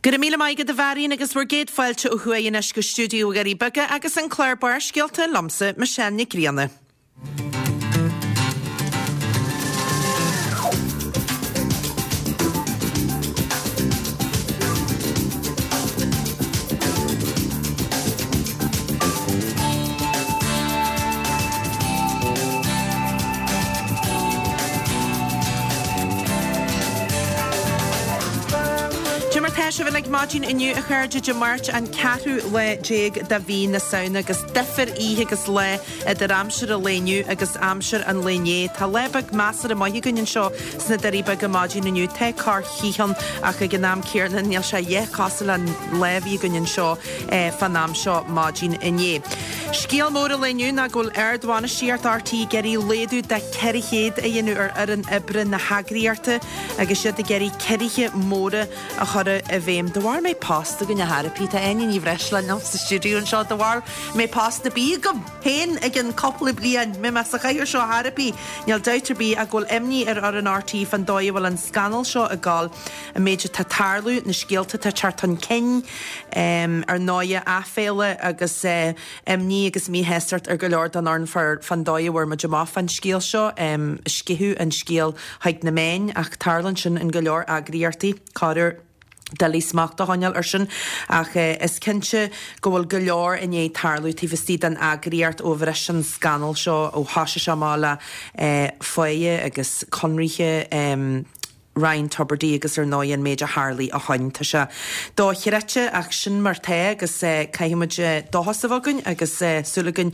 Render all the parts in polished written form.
Go raibh míle maith agat a Mharion agus bhur gcéad fáilte ó thuaidh anois go stiúideo Dhoirí Beaga agus an clár Barrscéalta liomsa, Michelle Nic Grianna. Cé mar tá sibh uilig maidin inniu a chairde Dé Máirt an ceathrú lá déag de mhí na Samhna agus difir oíche agus lá idir aimsir an lae inniu agus aimsir an lae inné. Tá lá beag measartha maith againn anseo sna Doirí Beaga maidin inniu. Tá corr-chith ann ach ag an am céanna níl sé a dhath cosúil leis an lá a bhí againn anseo fán am seo maidin inné. Scéal mór an lae inniu ná go bhfuil ardbhainistíocht RTÉ ag iarraidh laghdú de 400 a dhéanamh ar fhoireann oibre na heagraíochta agus iad ag iarraidh ciorruithe móra a chur i bhfeidhm. De bharr mbeidh post againn a thairpí, tá Áine Ní Bhreisleáin liom sa stiúideo anseo, de bharr mbeidh post ar bith agam féin i gceann cúpla bliain, mbeidh mé sa chathaoir seo a thairpí. Níl dabht ar bith ach go bhfuil imní ar fhoireann RTÉ fán dóigh a bhfuil an scannal seo ag gabháil, an méid atá ag tarlú, na scéalta atá ag teacht chun cinn, ar ndóighe, aiféala agus imní agus míshástacht ar go leor den fhoireann fán dóigh a bhfuair muid amach fán scéal seo. Sceitheadh an scéal chuig na meáin ach tarlaíonn sin in go leor eagraíochtaí, corruair. Doiligh smacht a choinneáil ar sin ach is cinnte go bhfuil go leor i ndiaidh tarlú taobh istigh den eagraíocht ó bhris an scannal seo, ó thoisigh sé amach le páighe agus conraithe. Ryan Tubridy agus ar ndóigh an méid a tharlaigh ó shoin. Tá sé dochreidte ach sin mar tá agus caithfidh muid dóchas a bheith againn agus súil againn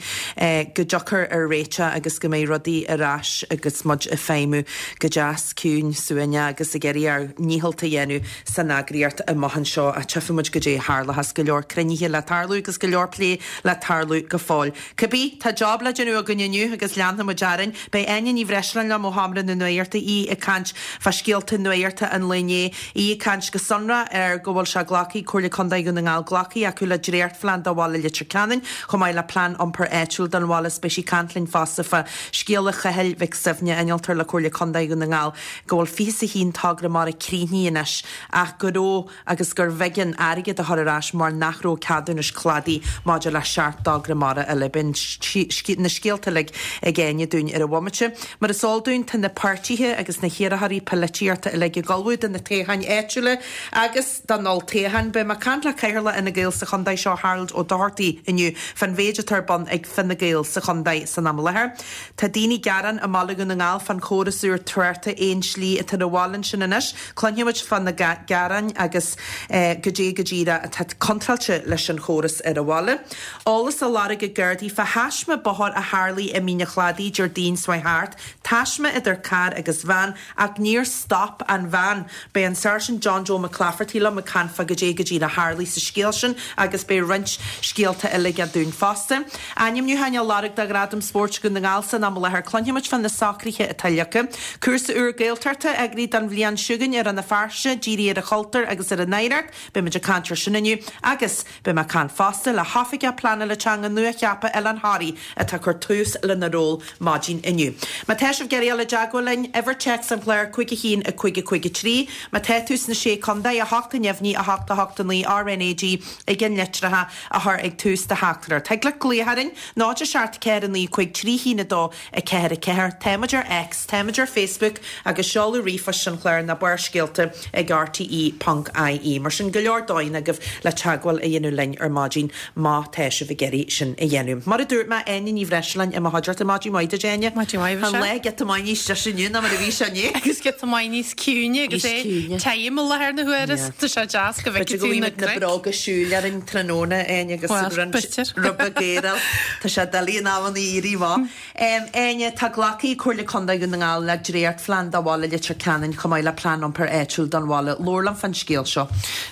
go dtiocfar ar réiteach agus go mbeidh rudaí ar ais agus muid ag feidhmiú go deas ciúin suaimhneach agus ag iarraidh ár ndícheall a dhéanamh san eagraíocht amach anseo. Ach tchífidh muid goidé a tharlóchas go leor cruinnithe le tarlú agus go leor plé le tarlú go fóill. Cibé, tá job le déanamh againn inniu agus leanfaidh muid orainn. Beidh Áine Ní Bhreisleáin liom ó Sheomra na Nuachta, í ag caint fá scéalta nuachta an lae inné, í ag caint go sonrach ar go bhfuil sé glactha ag Comhairle Contae Dhún na nGall glactha acu le dréachtphlean do bhaile Leitir Ceanainn chomh maith le plean iompair áitiúil don bhaile is beidh sí ag caint linn fosta fá scéala Chathail Mhic Suibhne, innealtóir le Comhairle Contae Dhún na nGall, go bhfuil 21 togra mara críochnaithe anois ach go raibh agus gurbh éigean airgead a chur ar ais mar nach raibh ceadúnais cladaigh maidir le 7 dtogra mara eile. Beidh na scéalta uilig ag Áine dúinn ar an bhomaite. Mar is eol dúinn, tá na páirtithe agus na hiarrthóirí polaitíochta uilig ag ullmhú do na toghcháin áitiúla agus don olltoghchán. Beidh mé ag caint le Cathaoirleach Fhine Gael sa chontae seo, Harold Ó Dochartaigh, inniu fán mhéid atá ar bun ag Fine Gael sa chontae san am i láthair. Tá daoine ag gearán i mBaile Dhún na nGall fán chóras úr tráchta aon slí atá ar an bhaile ansin anois. Cluinfidh muid fá na gearáin agus goidé go díreach atá contráilte leis an chóras ar an bhaile. Eolas á lorg ag Gardaí fá thaisme bóthair a tharlaigh i Mín an Chladaigh Déardaoin seo chuaigh thart. Taisme idir carr agus veain ach níor stop an veain. Beidh an Sáirsint John Joe McClafferty liom ag caint fá goidé go díreach a tharlaigh sa scéal sin agus beidh roinnt scéalta eile aige dúinn fosta. Ainmniúcháin á lorg do Ghradaim Spóirt Dhún na nGall san am i láthair. Cluinfidh muid fá na socruithe atá leagtha. Cúrsa úr Gaeltachta eagraithe don bhliain seo chugainn i Rann na Feirste, dírithe ar an chultúr agus ar an oidhreacht. Beidh muid ag caint ar sin inniu agus beidh mé ag caint fosta le hOifigeach Pleanála Teanga nua-cheaptha Oileán Thoraí atá ag cur tús lena ról maidin inniu. Má tá sibh ag iarraidh dul i dteagmháil linn, uimhir téacs an chláir 5 1 5 5 3. Má tá tú sna Sé Contae, 8 neamhní 8 8 9 RNAG ag an litreacha a chur ag tús do theachtaireacht. Thig leat glaoch orainn, 0 7 4 9 5 3 1 2 4 4. Táimid ar X, táimid ar Facebook agus seoladh ríomhphoist an chláir ná Barrscéalta ag rte ponc ie. Mar sin, go leor dóigheanna agaibh le teagmháil a dhéanamh linn ar maidin má tá sibh ag iarraidh sin a dhéanamh. Mar a dúirt mé, Áine Ní Bhreisleáin i mo chuideachta. Maidin mhaith duit, Áine. Maidin mhaith, Tá an lá giota maith níos deise inniu ná mar a bhí sé inné. Agus giota maith níos ciúine agus Níos é ciúine. tirim i láthair na huaire. Yeah. Tá sé deas go B'fhéidir bhfeicfidh go tú bhfaighidh na muid na cnoic. bróga siúil orainn tráthnóna, Áine, agus Well, roinnt b'fhéidir. rud beag aeráil. Tá sé doiligh in amanna éirí amach. Áine, tá glactha ag Comhairle Contae Dhún na nGall le dréachtphlean do bhaile Leitir Ceanainn chomh maith le plean iompair áitiúil don bhaile. Labhair liom fán scéal seo.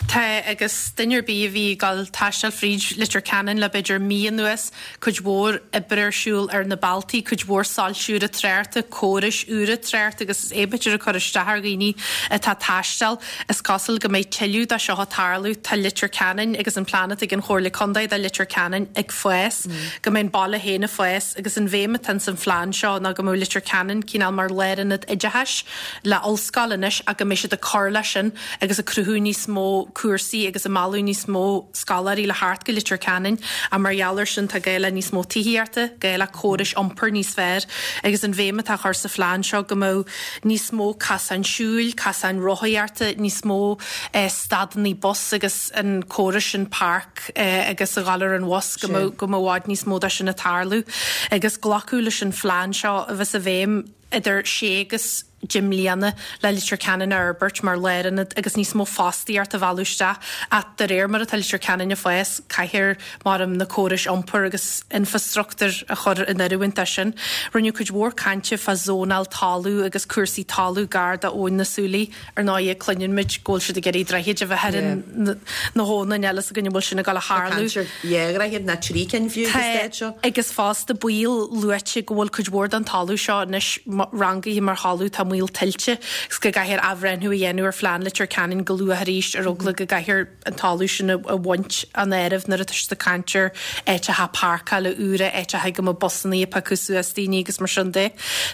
Tá, agus duine ar bith a bhí ag dul taisteal fríd Leitir Ceanainn le b'fhéidir mí anuas, cuid mhór oibre ar siúl ar na bealtaí, cuid mhór soilse úra tráchta, córais úra tráchta agus is é b'fhéidir ag cur isteach ar. ar dhaoine atá ag taisteal. Is cosúil go mbeidh tuilleadh de seo ag tarlú. Tá Leitir Ceanainn agus an plean atá ag an Chomhairle Contae do Leitir Ceanainn ag fás, go mbeidh an baile féin ag fás agus an bhéim atá ins an phlean seo ná go mbeadh Leitir Ceanainn cineál mar lárionad oideachais le ollscoil anois ach go mbeidh siad ag cur leis sin agus ag cruthú níos mó cúrsaí agus ag mealladh níos mó scoláirí le theacht go Leitir Ceanainn ach mar gheall air sin tá gá le níos mó tithíochta, gá le córais iompair níos fearr agus an bhéim atá á chur sa phlean seo go mbeadh níos mó casáin siúil, casáin rothaíochta, níos mó stadannaí bus agus an córas sin park agus a dhul ar an bhus go mbeadh go mbeadh i bhfad níos mó de sin ag tarlú. Agus glacadh leis an phlean seo a bheas i bhfeidhm idir sé agus 10 mbliana le Leitir Ceanainn a fhorbairt mar lárionad agus níos mó fostaíocht a mhealladh isteach ach de réir mar atá Leitir Ceanainn ag fás, caithfear, maram, na córais iompair agus infreastruchtúr a chur in oiriúint dó sin. Rinneadh cuid mhór cainte fá zónáil talún agus cúrsaí talún gar do Abhainn na Súilí. Ar ndóigh, cluineann muid go bhfuil siad ag iarraidh droichid a bheith ar na habhanna, níl a fhios againn an bhfuil sin ag dul a tharlú. Tá caint ar dhá dhroichead, nó trí cinn fiú, sa staid seo. Agus fosta baol luaite go bhfuil cuid mhór den talamh seo anois rangaithe mar thalamh atá i mbaol tuilte agus go gcaithfear athbhreithniú a dhéanamh ar phlean Leitir Ceanainn go luath arís ar eagla go gcaithfear an talamh sin a bhaint as an áireamh nuair atá siad ag caint ar áiteacha páirceála úra, áiteacha go mbeadh busannaí ag piocadh suas daoine agus mar sin de.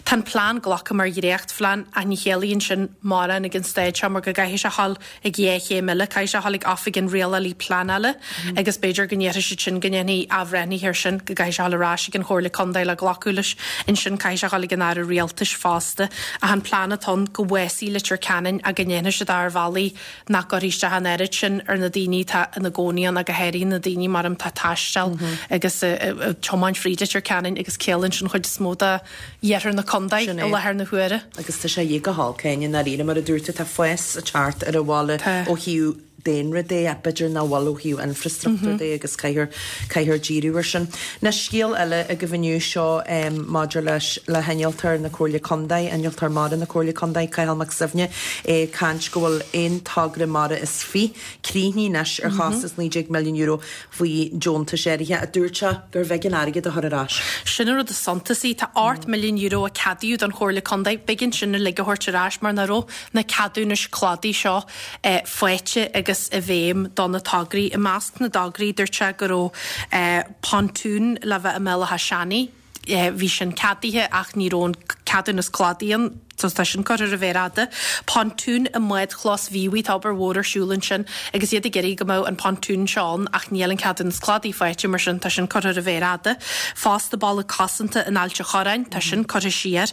Tá an plean glactha mar dhréachtphlean ach ní chiallaíonn sin mórán ag an staid seo mar go gcaithfidh sé a dhul ag dhá chéim eile, caithfidh sé a dhul ag Oifig an Rialálaí Pleanála agus b'fhéidir go ndéarfaidh siad sin go ndéanfaí athbhreithnithe air sin, go gcaithfidh sé a dhul ar ais ag an Chomhairle Contae le glacadh leis. Ansin caithfidh sé a dhul ag an Aire Rialtais fosta. Ach an plean atá ann go bhfásfaidh Leitir Ceanainn ach go ndéanfaidh siad é ar bhealaí nach gcuirfidh isteach an oiread sin ar na daoine atá ina gcónaí ann ach go háirithe na daoine maram atá ag taisteal agus ag tiomáint fríd Leitir Ceanainn agus ciallaíonn sin chuid is mó de iarthar na contae i láthair na huaire. Agus tá sé go holc Áine i ndáiríre mar a dúirt tú tá fás ag teacht ar an bhaile ó thaobh daonra de ach b'fhéidir nach bhfuil ó thaobh infreastruchtúr de agus caithfear caithfear díriú air sin. Anois scéal eile agaibh inniu seo maidir leis le hinnealtóir na Comhairle Contae, innealtóir mara na Comhairle Contae, Cathal Mac Suibhne, é ag caint go bhfuil aon togra mara is fiche críochnaithe anois ar chostas €19 milliún faoi deontais áirithe a dúirt sé gurbh éigean airgead a chur ar ais. Sin an rud is suntasaí. Tá €8 milliún a ceadaíodh don Chomhairle Contae. B'éigean sin uilig a thabhairt ar ais mar nach raibh na ceadúnais cladaigh seo faighte agus i bhfeidhm do na tograí. I measc na dtograí, dúirt sé go raibh pontún le bheith i mBéal Átha Seanaidh. Bhí sin ceadaithe ach ní raibh an ceadúnas cladaigh ann so tá sin curtha ar an mhéar fhada. Pontún i mbádchlós Mhíobhaigh, tá obair mhór ar siúl ansin agus iad ag iarraidh go mbeadh an pontún seo ann ach níl an ceadúnas cladaigh faighte mar sin tá sin curtha ar an mhéar fhada. Fosta balla cosanta in Ailt a' Chorráin, tá sin curtha siar.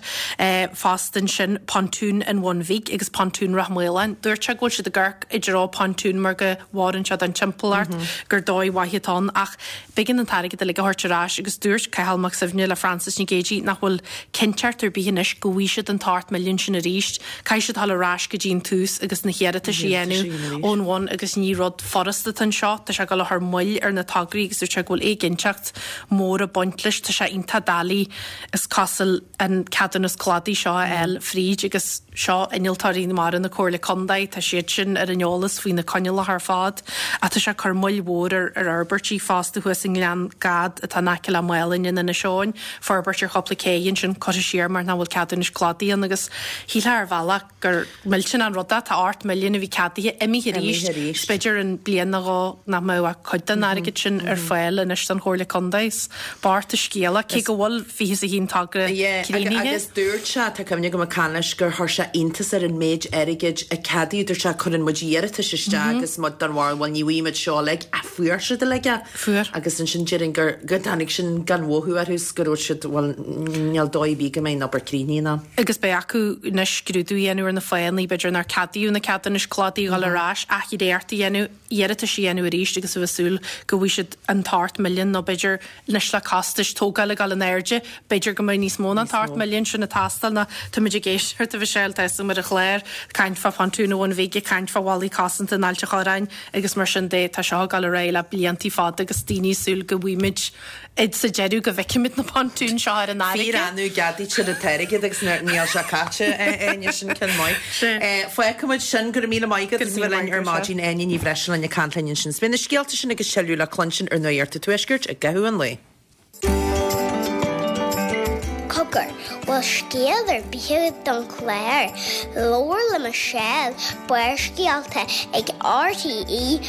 Fosta ansin pontún an Bhun Bhig agus pontún Ráth Maoláin. Dúirt sé go bhfuil siad ag amharc i dtreo pontún mar go bhfóireann sé don timpeallacht gur dóigh mhaith atá ann ach B'éigean an t-airgead uilig a thabhairt ar ais agus dúirt Cathal Mac Suibhne le Frances Nic Géadaigh nach bhfuil cinnteacht ar bith anois go bhfaighidh siad an t-ocht milliún sin arís. Caithfidh siad dul ar ais go dtí an tús agus na hiarratais a dhéanamh ón bhun agus ní rud furasta atá anseo. Tá sé ag dul a chur moill ar na tograí agus dúirt sé go bhfuil éiginnteacht mhór ag baint leis. Tá sé iontach doiligh is cosúil an ceadúnas cladaigh seo a fháil fríd agus seo innealtóirí mara na Comhairle Contae, tá siad sin ar an eolas faoi na coinníollacha ar fad ach tá sé ag cur moill mhór ar ar fhorbairtí fosta thuas i nGleann Gad atá in aice le Málainn in Inis Eoghain, forbairt ar chúpla cé ansin curtha siar mar nach bhfuil ceadúnais cladaigh ann agus shílfeá ar bhealach gur millteanach an rud é, tá 8 milliún a bhí ceadaithe imithe arís, is b'fhéidir in bliain nó dhó nach mbeadh ach cuid den airgead sin ar fáil anois don Chomhairle Contae. Is bocht an scéal é, cé go bhfuil 21 togra críochnaithe. Agus dúirt sé, tá cuimhne agam ag caint leis, gur chuir sé iontas air an méid airgid a ceadaíodh, dúirt sé cuireann muid iarratais isteach agus muid den bharúil bhuel ní bhfaighidh muid seo uilig ach fuair siad uilig é. Fuair. Agus ansin déarfainn gur, go dtáinig sin gan mhothú orthu 's go raibh siad, bhuel, níl dóigh ar bith go mbeidh an obair críochnaithe in am. Agus beidh acu anois scrúdú a dhéanamh ar na fáthanna, b'fhéidir nár ceadaíodh na ceadúnais cladaigh a dhul ar ais, athdhréacht a dhéanamh, iarratais a dhéanamh arís agus a bheith ag súil go bhfaighidh siad an t-ocht milliún nó b'fhéidir anois le costais tógála ag dul in airde, b'fhéidir go mbeidh níos mó ná an t-ocht milliún sin ag teastáil nó táimid ag éisteacht a Mhichelle, tá a fhios agam ar an chlár, caint fá phontún an Bhun Bhig, ag caint fá bhallaí cosanta in Ailt a' Chorráin, Agus mar sin de, tá seo ag dul ar aghaidh le bliantaí fada agus daoine ag súil go bhfaighimid sa deireadh go bhfeicfimid na pontúin seo ar an fharraige. Fíor-annamh a gceadaítear an t-airgead agus níl sé caite, Áine, sin ceann maith. Fágfaimid sin, go raibh míle maith agat as a bheith linn ar maidin, Áine Ní Bhreisleáin ag caint linn ansin. Beidh na scéalta sin agus tuilleadh le cluinstin ar Nuacht an Tuaiscirt i gcaitheamh an lae. Cogar. Bhfuil scéal ar bith agat don chlár? Labhair le Michelle, Barrscéalta ag RTE.ie.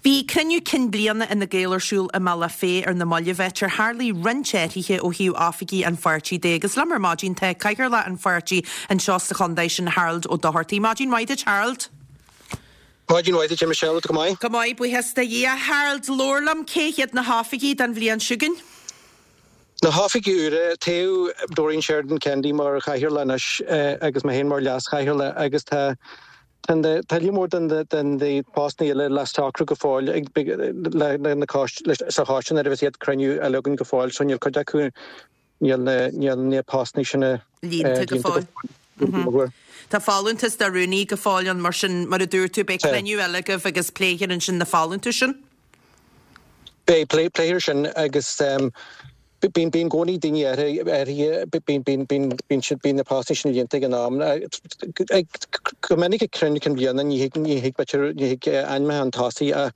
Bhí cruinniú cinn bliana Fhine Gael ar siúl i mBealach Féich ar na mallaibh, áit ar tharlaigh roinnt athruithe ó thaobh oifigí an pháirtí de. Agus liom ar maidin tá Cathaoirleach an pháirtí anseo sa chontae sin, Harold Ó Dochartaigh. Maidin mhaith duit, Harold. Maidin mhaith duit, a Michelle, tá tú go maith? Go maith, buíochas do Dhia. Harold, labhair liom, cé hiad na hoifigigh don bhliain seo chugainn? Na hoifigigh úra, toghadh Doreen Sheridan Kennedy mar chathaoirleach anois agus mé féin mar leas-chathaoirleach agus tá tá líon mór den na postanna eile le socrú go fóill ag le na sa choiste nuair a bheas an chéad cruinniú eile againn go fóill so níl cuid acu Níl na, níl na postanna sin líonta go fóill. Tá folúntas do rúnaí go fóill ann, mar sin, mar a dúirt tú, beidh cruinniú eile agaibh agus pléifear ansin na folúntais sin. Beidh, pléifear sin agus bíonn, bíonn i gcónaí daoine áirithe, bíonn, bíonn, bíonn, bíonn siad, bíonn na postanna sin líonta ag an am. Go minic ag cruinniú cinn bliana ní thig, ní thig, b'fhéidir, ní thig ainmneacha chun tosaigh ach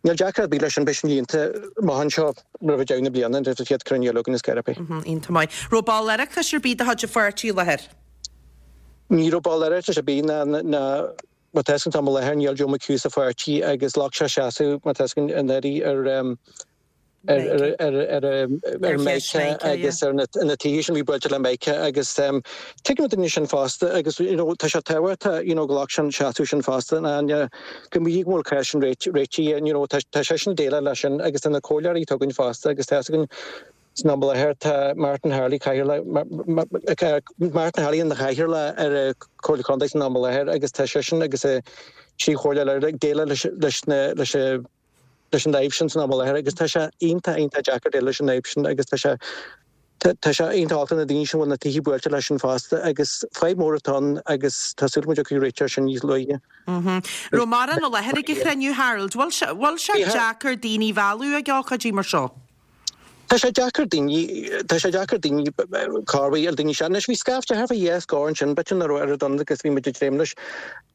Níl deacracht ar bith leis sin, beidh sin líonta amach anseo roimh deireadh na bliana, roimh an chéad cruinniú eile againn is gearr é. Iontach maith. Raibh ball Oireachtais ar bith de chuid an pháirtí i láthair? Ní raibh ball Oireachtais ar bith ná ná má tá fhios agat san am i láthair níl Joe McHugh sa pháirtí agus ghlac sé seasamh má tá fhios agat anuraidh ar ar ar ar ar Micah agus ar na tithe sin a bhí buailte le Micah agus tuigim na daoine sin fosta agus you know tá sé tábhachtach you know go ghlac sé an seasamh sin fosta ná go mbíodh go bhfuil cás sin réitithe you know tá tá seisean ag déileáil leis sin agus tá na comhairleoirí atá againn fosta agus tá fhios againn san am i láthair tá Martin Harley cathaoirleach Martin Harley ina chathaoirleach ar an Chomhairle Contae san am i láthair agus tá seisean agus a thrí chomhairleoir eile ag déileáil leis leis na leis leis an fhadhb sin san am i láthair agus tá sé iontach iontach deacair déileáil leis an fhadhb sin agus tá sé tá sé iontach olc do na daoine sin a bhfuil na tithe buailte leis sin fosta agus fadhb mór atá ann agus tá súil go dtiocfaidh réiteach air sin níos luaithe. Raibh mórán i láthair ag an chruinniú, Harold. Bhfuil sé bhfuil sé deacair daoine a mhealladh ag ócáidí mar seo? Tá sé deacair daoine, tá sé deacair daoine corruair daoine seo. Anois bhí scaifte thart fá dheich scór ansin, b'fhéidir nach raibh oiread ann agus bhí muid ag dréim leis.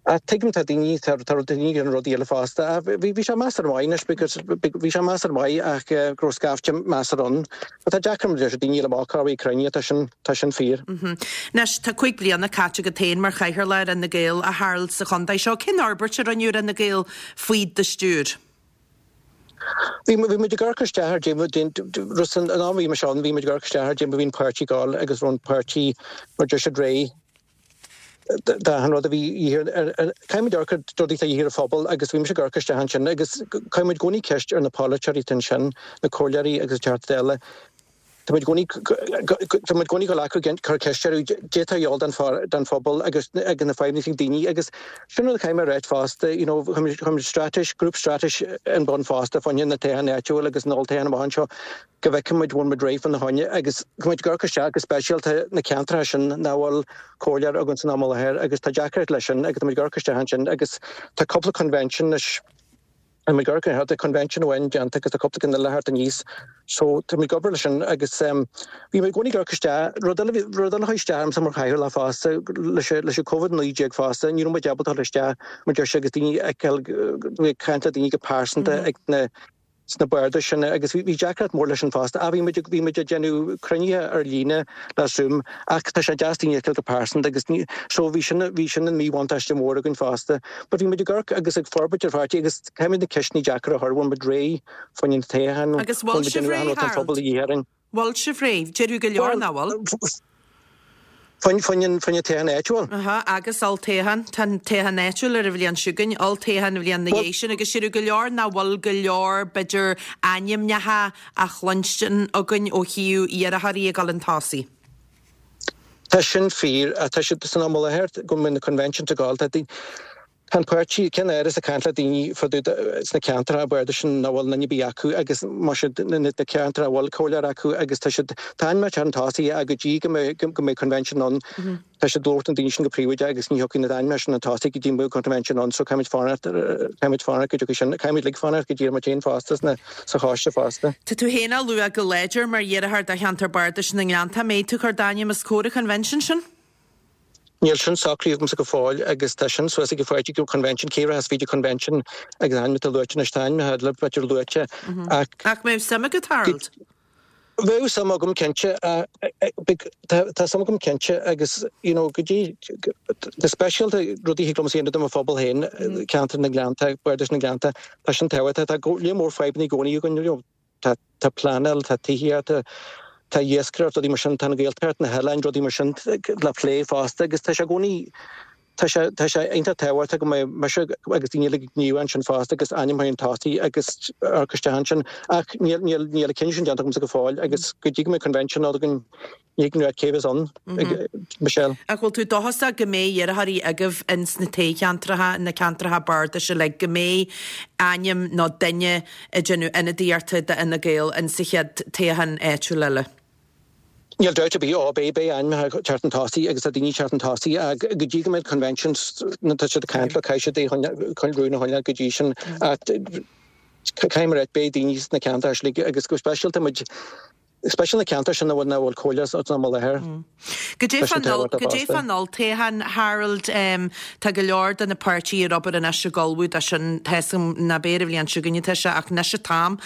Ach tuigim tá daoine, tá tá daoine ag déanamh rudaí eile fosta. Ach bhí bhí sé measartha maith anois because bhí sé measartha maith ach go raibh scaifte measartha ann. But tá deacair mar deir daoine eile amach corruair ag cruinniú, tá sin, tá sin fíor. Anois tá 5 bliana caite agat féin mar chathaoirleach ar Fhine Gael, a Harold, sa chontae seo. Cén fhorbairt a rinneadh ar Fhine Gael faoi do stiúir? Bhí bhí muid ag amharc isteach ar dé san am a bhí mise ann bhí muid ag amharc isteach ar dé mar bhí an páirtí ag gabháil agus raibh an páirtí mar deir siad réidh d'achan rud a bhí de dhíth ar caithfidh muid amharc ar rudaí atá de dhíth ar an phobal agus bhí mise ag amharc isteach ansin agus caithfidh muid i gcónaí ceist ar na polaiteoirí atá ansin, na comhairleoirí agus an Teachta Dála. Tá muid i gcónaí tá muid i gcónaí ag gabháil ag cur ceist orthu dé tá a dhíobháil don don phobal agus agus na fadhbanna atá ag daoine agus sin rud a chaithfidh mé a ráit fosta you know chuir muid chuir muid straitéis grúp straitéis in bun fosta fá choinne na toghcháin áitiúil agus an olltoghchán amach anseo go bhfeicfidh muid bhfuil muid réidh fá na choinne agus go muid ag amharc isteach go speisialta na ceantracha sin nach bhfuil comhairleoir againn san am i láthair agus tá deacracht leis sin agus tá muid ag amharc isteach ansin agus tá cúpla convention anois Tá muid ag amharc tá convention amháin déanta agus tá cúpla ceann eile thart aníos so tá muid ag obair leis sin agus bhí mé i gcónaí ag amharc isteach, rud eile rud eile a chuaigh isteach ormsa mar chathaoirleach fosta leis leis an Covid-19 fosta ní raibh muid ábalta dul isteach mar deir sé agus daoine a fheiceáil ag caint le daoine go pearsanta ag na sna bardais sin agus bhí deacracht mór leis sin fosta. Ach bhí muid bhí muid ag déanamh cruinnithe ar líne le Zoom ach tá sé deas daoine a fheiceáil go pearsanta agus ní so bhí sin bhí sin an míbhuntáiste mór againn fosta. But bhí muid ag amharc agus ag forbairt ar pháirtí agus caithfimid na ceisteanna deacra a chur, bhfuil muid réidh fá choinne na toghcháin, Agus bhfuil bhfuil muid sibh déanamh réidh, achan rud an Harold? phobal a dhíth orainn. Bhfuil sibh réidh? Déarfadh go leor nach bhfuil. Fá choinne fá choinne toghchán áitiúil. Aha, agus olltoghchán. Tá an toghchán áitiúil ar an bhliain seo chugainn, olltoghchán an bhliain na dhiaidh sin, agus déarfadh go leor nach bhfuil go leor, b'fhéidir, ainmneacha á chluinstin againn ó thaobh iarrthóirí ag dul chun tosaigh. Tá sin fíor, ach tá siad san am i láthair go mbeidh na conventions ag gabháil. Tá Tá an páirtí, Ceann Áras ag caint le daoine fá dtaobh sna ceantracha bardais sin nach bhfuil duine ar bith acu agus má siad na ceantracha a bhfuil comhairleoir acu agus tá siad, tá ainmneacha chun tosaigh ach go dtí go mbeidh go mbeidh convention ann tá siad ag labhairt na daoine sin go príobháideach agus ní thiocfaidh na ainmneacha sin chun tosaigh go dtí go mbeidh convention ann so caithfimid fanacht caithfimid fanacht go dtiocfaidh sin caithfimid uilig fanacht go dtí muid féin fosta sna sa choiste fosta. Tá tú féin á lua go láidir mar iarrthóir do cheantar bardais na nGleannta. Mbeidh tú ag cur d'ainm os comhair an convention sin? Níl sin socraithe agamsa go fóill agus tá sin suas ag an pháirtí go convention, cé rachas fríd an convention agus ainm atá luaite anois, tá ainmneacha eile b'fhéidir luaite ach. Ach mbeadh suim agat, Harold? Bheadh suim agam cinnte. Tá suim agam cinnte agus you know go dtí go speisialta rudaí a thig liomsa a dhéanamh do mo phobal féin, ceantar na nGleannta, Bardais na nGleannta, tá sin tábhachtach. Tá lear mór fadhbanna i gcónaí againn, you know, tá tá pleanáil, tá tithíocht, tá iascaireacht, rudaí mar sin, tá an Ghaeltacht, na hoileáin, rudaí mar sin le plé fosta agus tá sé i gcónaí Tá sé, tá sé iontach tábhachtach go mbeidh mise agus daoine eile gníomhach ansin fosta agus ainm chun tosaigh agus amharc isteach ansin. Ach níl, níl, níl an cinneadh sin déanta agamsa go fóill agus go dtí go mbeidh convention againn ní thig liom a rá cé bheas ann, Michelle. Ach bhfuil tú dóchasach go mbeidh iarrthóirí agaibh ins na toghcheantracha, na ceantracha bardais uilig, go mbeidh ainm nó duine ag déanamh ionadaíochta d'Fhine Gael in sa chéad toghchán áitiúil eile? Níl dabht ar bith, ó, beidh, beidh ainmneacha ag teacht chun tosaigh agus tá daoine ag teacht chun tosaigh ach go dtí go mbeidh convention tá siad ag caint leo, caithfidh siad é a choinneáil, rún a choinneáil go dtí sin ach caithfidh mé a rá, beidh daoine sna ceantair uilig agus go speisialta muid, speisialta na ceantair sin a bhfuil, nach bhfuil comhairle san am i láthair. Goidé fán olltoghchán, Harold, tá go leor de na páirtithe ar obair anois ag ullmhú dó sin, tá 'fhios agam ná beidh ar an bhliain seo chugainn atá sé ach anois an t-am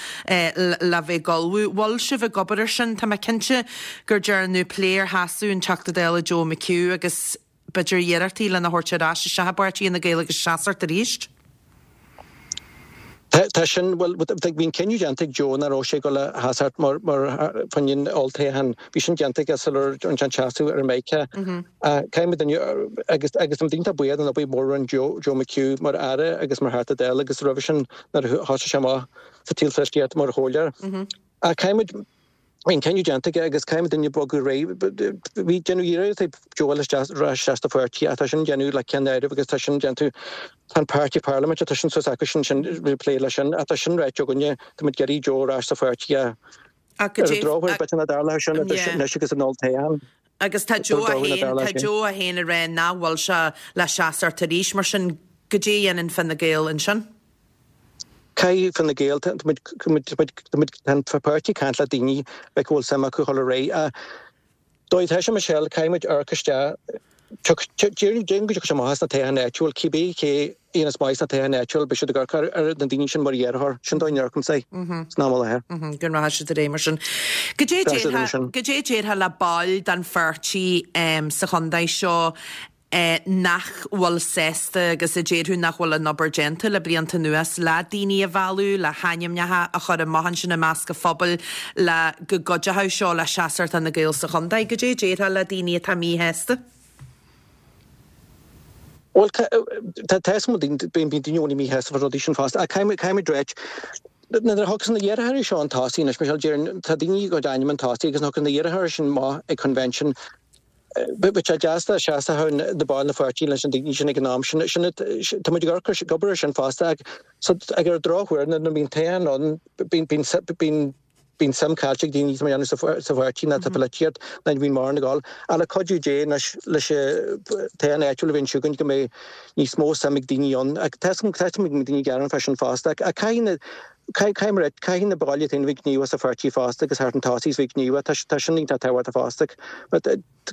le bheith ag ullmhú. Bhfuil sibh ag obair ar sin? Tá mé cinnte gur dearnadh plé ar sheasamh an Teachta Dála Joe McHugh agus b'fhéidir iarrachtaí lena thabhairt ar ais isteach i bpáirtí Fhine Gael agus seasacht arís. Tá sin, bhuel, bhí an cinneadh déanta ag Joe nach raibh sé ag dul a sheasacht mar, mar fá choinne an olltoghchán. Bhí sin déanta aige sular rinne sé an seasamh ar Meiriceá. Caithfidh muid inniu, agus, agus táimid iontach buíoch den obair mhór a rinne Joe, Joe McHugh mar Aire agus mar Theachta Dála agus roimhe sin nuair a thosaigh sé amach sa tsaol pholaitíochta mar chomhairleoir. Ach caithfidh muid, Bhí an cinneadh déanta aige agus caithfidh muidne bogadh ar aghaidh. Bhí déanamh iarracht ag Joe a dhul isteach ar ais isteach sa pháirtí ach tá sin déanamh le ceann áireamh agus tá sin déanamh tá an páirtí parlaiminte tá sin suas acu sin sin ag plé leis sin ach tá sin ráite againne tá muid ag iarraidh Joe ar ais sa pháirtí ach ar an drochuair b'fhéidir nach dtarlóidh sin anois agus an olltoghchán. Agus tá Joe é féin tá Joe é féin ag rá nach bhfuil sé le seasacht arís mar sin goidé a dhéanann Fine Gael ansin? Caithfidh Fine Gael, tá muid, tá an páirtí ag caint le daoine like go bhfuil suim acu dhul ar aghaidh. An dóigh atá sé Michelle, caithfidh muid amharc isteach, déarfainn go dtiocfaidh sé amach as na toghcháin áitiúil, cibé cé a dhéanas maith sna toghcháin áitiúil, beidh siad ag amharc ar na daoine sin mar iarrthóir. Sin dóigh a n-amharcaimse air san am i láthair. Go rachaidh siad ar aghaidh mar sin. Goidé a déarfá le baill den pháirtí sa chontae seo nach bhfuil sásta agus a déarfadh nach bhfuil an obair déanta le blianta anuas le daoine a mhealladh, le hainmneacha a chur amach ansin i measc an phobail le go gcuideochadh seo le seasacht Fhine Gael sa chontae. Goidé a déarfá le daoine atá míshásta? Bhuel, tá a fhios agam bíonn daoine i gcónaí míshásta fá rudaí sin fosta ach caithfimid ráit, nuair a thiocfas na hiarrthóirí seo chun tosaigh anois, Michelle, déarfainn, tá daoine a gcuid ainm chun tosaigh agus nuair a thiocfas na hiarrthóirí sin amach ag convention, Bheadh sé deas dá seasfadh na baill na pháirtí leis na daoine sin ag an am sin. Sin tá muid ag amharc ag obair ar sin fosta ach so ag ar an drochuair nuair a bhíonn toghchán ann bíonn bíonn bíonn bíonn suim caillte ag daoine tá muid ag déanamh sa sa pháirtí ná sa pholaitíocht ná bíonn mórán ag dul. Ach le cuidiú Dé anois leis an toghchán áitiúil a bhíonn chugainn go mbeidh níos mó suim ag daoine ann. Ach tá tá go mbeidh daoine ag gearán fá sin fosta ach caithfidh na Caithfidh mé a ráit, caithfidh na baill iad féin a bheith gníomhach sa pháirtí fosta agus theacht chun tosaigh is bheith gníomhach, tá tá sin iontach tábhachtach fosta. But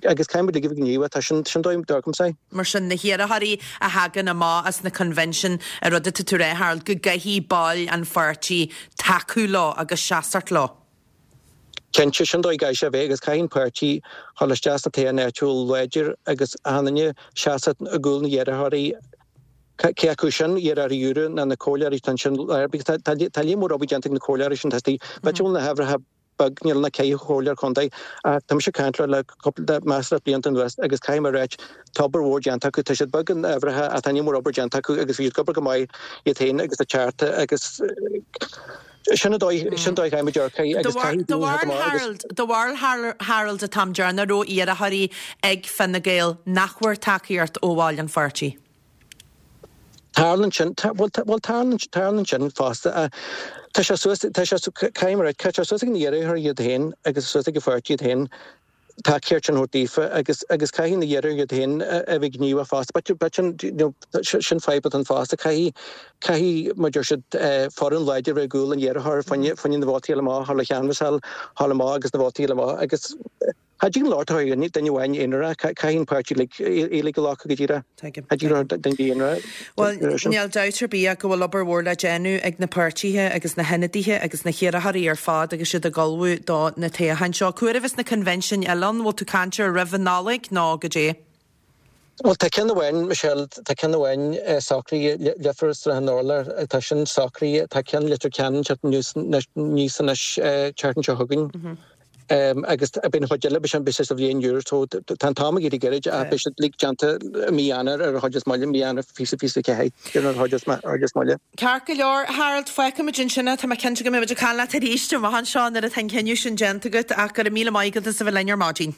agus caithfidh muid uilig a bheith gníomhach, tá sin, sin dóigh dóigh Mar sin, na hiarrthóirí a thagann amach as na convention, an rud atá tú a rá, Harold, go gcaithfidh baill an pháirtí tacú leo agus seasacht leo. Cinnte, sin dóigh a gcaithfidh sé a bheith agus caithfidh an páirtí dhul isteach sna toghcháin áitiúil láidir agus achan duine seasamh i gcúl na n-iarrthóirí, cé acu sin iarrthóirí úra ná na comhairleoirí atá ansin láir because tá tá líon mór obair déanta ag na comhairleoirí sin tá b'fhéidir go bhfuil na huimhreacha beag níl na ceithre chomhairleoir contae ach tá mise ag caint leo le cúpla measartha blianta anuas agus caithfidh mé a ráit tá obair mhór déanta acu tá siad beag in uimhreacha ach tá líon mór obair déanta acu agus bhí siad ag obair go maith iad féin agus a tearta agus Sin an dóigh, sin an dóigh a gcaithfidh muid amharc air agus caithfidh daoine theacht amach agus. Do bharúil Harold an t-am deireanach raibh iarrthóirí ag Fine Gael nach bhfuair tacaíocht ó bhaill an pháirtí? Tarlaíonn sin, bhuel tarlaíonn, tarlaíonn sin fosta. Tá sé suas, tá sé, caithfidh mé a ráit, tá sé suas ag na hiarrthóirí iad féin agus suas ag an pháirtí iad féin. tacaíocht sin a thabhairt daofa agus agus caithfidh na hiarrthóirí iad féin a bheith gníomhach fosta. But but sin you know sin fadhb atá ann fosta. Caithfidh caithfidh mar a deir siad foireann láidir a bheith i gcúl an iarrthóra fá choinne fá choinne na vótaí a fháil amach, a dhul a chanbhasáil, a fháil amach agus na vótaí a fháil amach agus. Cha dtig an locht a chur ar duine amháin aonarach, caithfidh an páirtí uilig a ghlacadh go díreach. Cha dtig le duine aonarach. Bhuel, níl dabht ar bith ach go bhfuil obair mhór le déanamh ag na páirtithe agus na hionadaithe agus na hiarrthóirí ar fad agus iad ag ullmhú do na toghcháin seo. Cá huair a bheas na coinbhinsiúin eile ann? Bhfuil tú ag caint ar roimh an Nollaig nó goidé? Bhuel, tá ceann amháin, Michelle, tá ceann amháin socraithe, Leifear is Srath an Urláir, tá sin socraithe, tá ceann Leitir Ceanainn teacht aníos anois tseachtain seo chugainn. Agus beidh an chuid eile, beidh sé sa bhliain úr, so tá an t-am ag éirí gairid ach beidh siad uilig déanta i mí Eanáir ar an chuid is moille, mí Eanáir 2024 ar an chuid is moille. Ceart go leor, Harold, fágfaimid ansin é, tá mé cinnte go mbeidh muid ag caint leat arís amach anseo nuair atá an cinneadh sin déanta agat ach go raibh míle maith agat as a bheith linn ar maidin.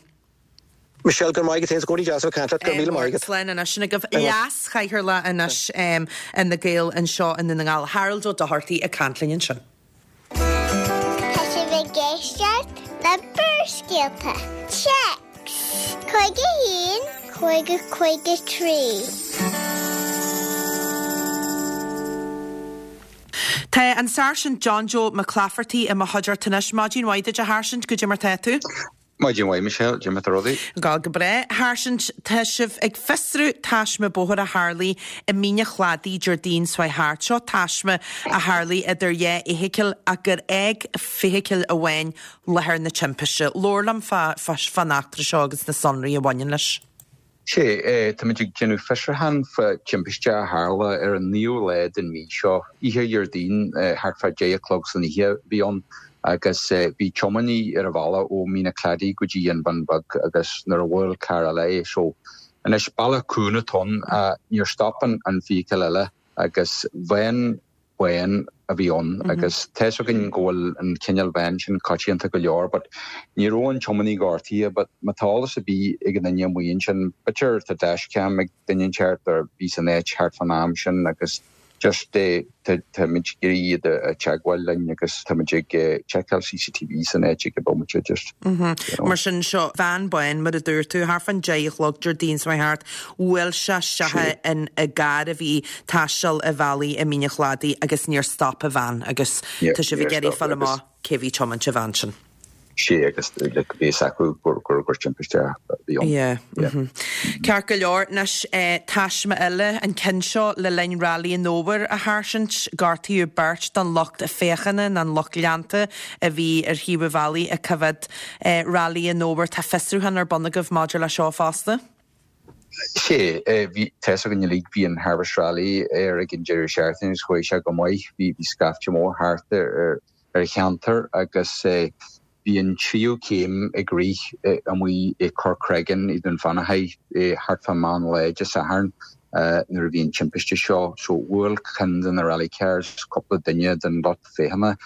Michelle, go raibh maith agat féin, is i gcónaí deas a bheith ag caint leat, go raibh míle maith agat. Slán anois, sin agaibh leas-chathaoirleach anois Fhine Gael anseo i nDún na nGall, Harold Ó Dochartaigh ag caint linn ansin. Tá sibh ag éisteacht le Barrscéalta. Téacs 51 50 53. Tá an Sáirsint John Joe Mac Laifeartaigh i mo chuideachta anois. Maidin mhaith duit a Sháirsint, goidé mar tá tú? Maidin mhaith, Michelle, goidé mar tá rudaí. Ag gabháil go breá. A Sháirsint, tá sibh ag fiosrú taisme bóthair a tharlaigh i Mín an Chladaigh Déardaoin seo chuaigh thart. Seo taisme a tharlaigh idir dhá fheithicil ach gur fhág feithicil amháin láthair na timpiste. Labhair liom fán eachtra seo agus na sonraí a bhaineann leis. Sea, táimid ag déanamh fiosrúchán fá timpiste a tharla ar an naoú lá den mhí seo, oíche Dhéardaoin, thart fá deich a chlog san oíche a bhí ann, agus bhí tiománaí ar a bhealach ó Mín an Chladaigh go dtí an Bhun Bheag agus nuair a bhuail carr eile é, so anois bealach cúng atá ann, níor stop an feithicil eile agus veain bhán a bhí ann agus tá's againn go bhfuil an cineál veain sin coitianta go leor but ní raibh an tiománaí gortaithe but má tá eolas ar bith ag aon duine amuigh ansin b'fhéidir tá dashcam ag duine inteacht a bhí san áit thart fán am sin agus just táimid ag iarraidh iad a teagmháil linn agus táimid ag tseiceáil CCTV san áit ag an bomaite just you know. Mar sin seo veain bán mar a dúirt tú thart fán deich a chlog Déardaoin seo chuaigh thart Bhuail sé isteach in i gcarr a bhí ag taisteal an bhealaigh i Mín an Chladaigh agus níor stop an veain agus tá sibh ag iarraidh fáil amach cé a bhí ag tiomáint an veain sin. Sea agus like bhí fhios acu gur gur gur timpiste a bhí ann. Yeah. Yeah. Ceart go leor, anois taisme eile, an ceann seo le linn Railí an Fhómhair a Sháirsint, gortaíodh beirt den lucht féachana nó an lucht leanta a bhí ar thaobh an bhealaigh ag coimhéad Railí an Fhómhair. Tá fiosrúchán ar bun agaibh maidir leis seo fosta? Sea, bhí, tá's againn uilig, bhí an Harvest Rally ar ag an deireadh seachtaine agus chuaigh sé go maith. Bhí, bhí scaifte mór thart ar, ar an cheantar agus bhí an tríú céim ag rith amuigh i Corcreggan i Dún Fionnachaidh thart fá meán lae Dé Sathairn nuair a bhí an timpiste seo. So bhuail ceann de na rally cars cúpla duine den lucht féachana.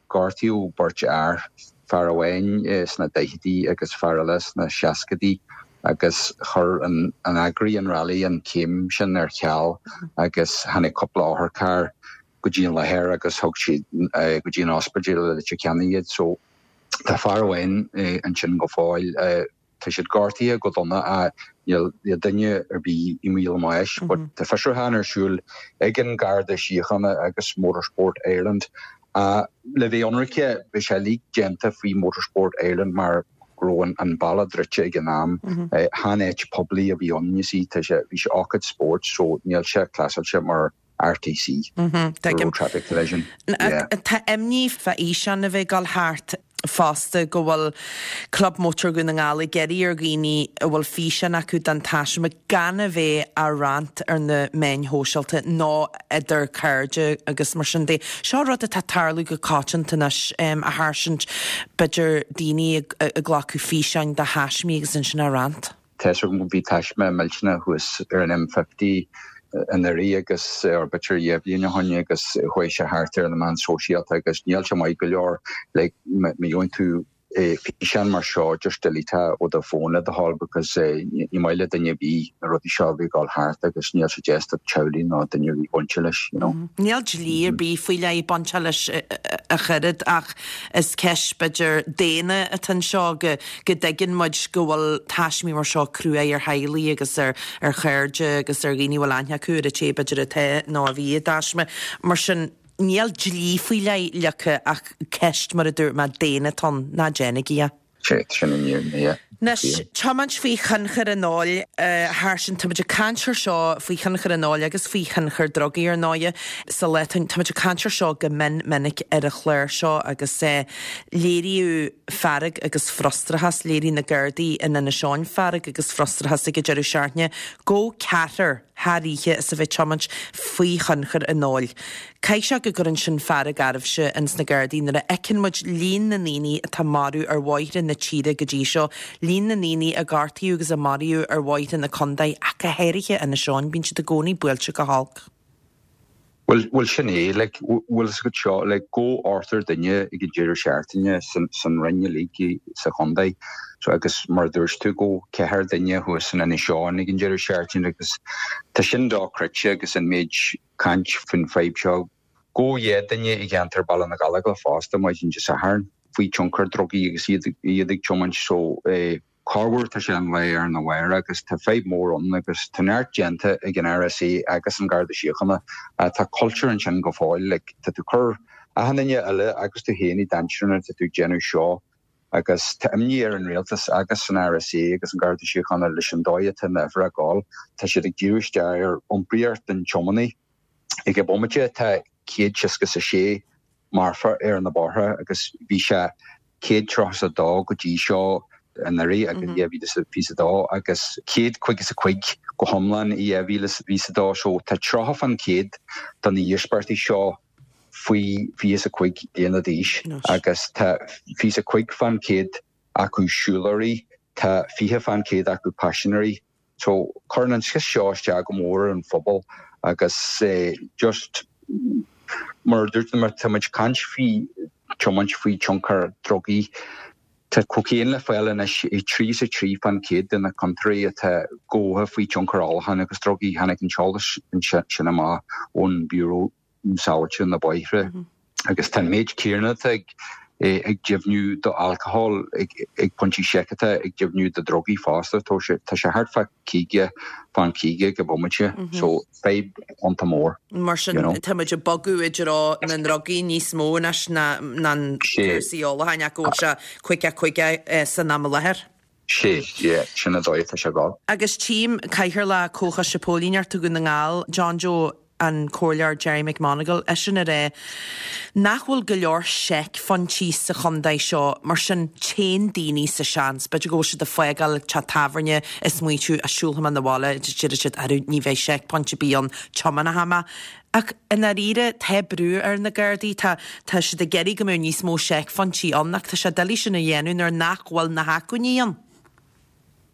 Gortaíodh beirt fhear, fear amháin sna daichidí agus fear eile sna seascaidí agus chuir an eagraí an rally an céim sin ar ceal agus tháinig cúpla otharcharr go dtí an láthair agus thug siad go dtí an ospidéal i Leitir Ceanainn iad. So tá fear amháin ansin go fóill. Tá siad gortaithe go dona ach níl duine ar bith i mbaol a mbáis. But tá fiosrúchán ar siúl ag an Garda Síochána agus Motorsport Ireland. Le bheith ionraice, bhí sé uilig déanta faoi Motorsport Ireland mar go raibh an bealach druidte ag an am. Chan áit poiblí a bhí ann, you see, tá sé, bhí sé ócáid spóirt so níl sé classáilte mar RTC, Road Traffic Collision. Yeah. Tá imní fá fhíseán a bheith ag dul thart fosta go bhfuil Club Mótar Dhún na nGall ag iarraidh ar dhaoine a bhfuil físeán acu den taisme gan a bheith á roinnt ar na meáin shóisialta nó idir cairde agus mar sin de. Seo rud atá ag tarlú go coitianta anois, a Sháirsint, b'fhéidir daoine ag glacadh físeáin de thaismí agus ansin á roinnt. Tá's agam go bhí taisme millteanach thuas ar an M50 anuraidh agus, or b'fhéidir dhá bhliain ó shin agus chuaigh sé thart ar na meáin sóisialta agus níl sé maith go leor like má gheobhann tú físeán mar seo just delete é ó do phone le do thoil because ní maith le duine ar bith na rudaí seo a bheith ag dul thart agus níl sé deas do teaghlaigh ná duine ar bith bainte leis you know. Níl dlí ar bith faoi leith bainteach leis ach oiread ach is ceist b'fhéidir daonna atá anseo go go dtuigeann muid go bhfuil taismí mar seo cruaidh ar theaghlaigh agus ar ar chairde agus ar dhaoine a bhfuil aithne acu ar an té b'fhéidir atá nó a bhí i dtaisme. Mar sin, níl dlí faoi leith leagtha ach ceist, mar a dúirt mé, daonna atá ann, ná déanaigí é. Sea, sin an fhírinne, yeah. Anois, tiomáint faoi thionchar an óil, a Sháirsint, táimid ag caint ar seo faoi thionchar an óil agus faoi thionchar drugaí ar ndóighe sa lá atá, táimid ag caint ar seo go mion minic ar an chlár seo agus léiríodh fearg agus frustrachas, léirigh na Gardaí in Inis Eoghain fearg agus frustrachas ag an deireadh seachtaine gabhadh ceathrar thar oíche as a bheith ag tiomáint faoi thionchar an óil. Caithfidh sé go gcuireann sin fearg oraibhse ins na Gardaí nuair a fheiceann muid líon na ndaoine atá marbh ar bhóithre na tíre go dtí seo, líon na ndaoine a gortaíodh agus a maraíodh ar bhóithre na contae ach go háirithe Inis Eoghain, bíonn siad i gcónaí buailte go holc. Bhuel, bhuel sin é, like, bhfuil fhios agat seo, like, gabhadh ochtar duine ag an deireadh seachtaine san, san roinn uilig sa chontae. So agus mar a dúirt tú, gabhadh ceathrar duine thuas in Inis Eoghain ag an deireadh seachtaine agus tá sin dochreidte agus an méid caint faoin fadhb seo. Gabhadh 12 duine i gceantar Baile na Gallóglach fosta maidin Dé Sathairn faoi tionchar drugaí agus iad, iad ag tiomáint. So, eh, Corruair tá sé an lá arna mhárach agus tá fadhb mór ann agus tá neart déanta ag an RSA agus an Garda Síochána. Tá cultúr ansin go fóill, like tá tú cur achan duine eile agus tú féin i danger nuair atá tú ag déanamh seo agus tá imní ar an rialtas agus an RSA agus an Garda Síochána leis an dóigh atá na huimhreacha ag gabháil. Tá siad ag díriú isteach ar iompraíocht an tiománaí. Ag an bomaite tá 166 marfa ar na bóithre agus bhí sé 132 go dtí seo anuraidh agus 2022 agus 155 go hiomlán i 2022 so tá 30 fán chéad de na híospartaigh seo faoi 25 bliana d'aois agus tá 25 fán chéad acu siúlóirí, tá 20 fán chéad acu paisinéirí. So, cuireann an sceist seo isteach go mór ar an phobal agus just mar a dúirt mé, tá muid ag caint faoi tiomáint faoi tionchar drugaí. Tá cocaine le fáil anois i 33 fán chéad de na ciontóirí atá gabhtha faoi tionchar ólacháin agus drugaí. Tháinig an t-eolas sin amach ón Bureau um Sábháilteacht na Bóithre agus tá an méid céanna atá ag ag deimhniú do alcohol ag pointí seiceála ag deimhniú do drugaí fosta. Tá sé tá sé thart fá 50 fán 50 ag an bhomaite so fadhb iontach mór. Mar sin tá muid ag bogadh i dtreo na ndrugaí níos mó anois ná ná cúrsaí ólacháin ach go bhfuil sé 50 50 san am i láthair. Sé, yeah, sin an dóigh atá sé ag dul. Agus tchím Cathaoirleach Comhchoiste Póilíneachta Dhún na nGall, John Joe, an Comhairleoir Gerry McMonagall, eisean ag rá nach bhfuil go leor seicphointí sa chontae seo, mar sin téann daoine sa seans, b'fhéidir go bhfuil siad ag fágáil teach tábhairne ag smaoitiú á siúlfaidh mé 'na bhaile, deir siad arú ní bheidh seicphoint ar bith ann, tiomáinfidh mé. Ach i ndáiríre, tá brú ar na Gardaí, tá tá siad ag iarraidh go mbeadh níos mó seicphointí ann ach tá sé doiligh sin a dhéanamh nuair nach bhfuil na hacmhainní ann.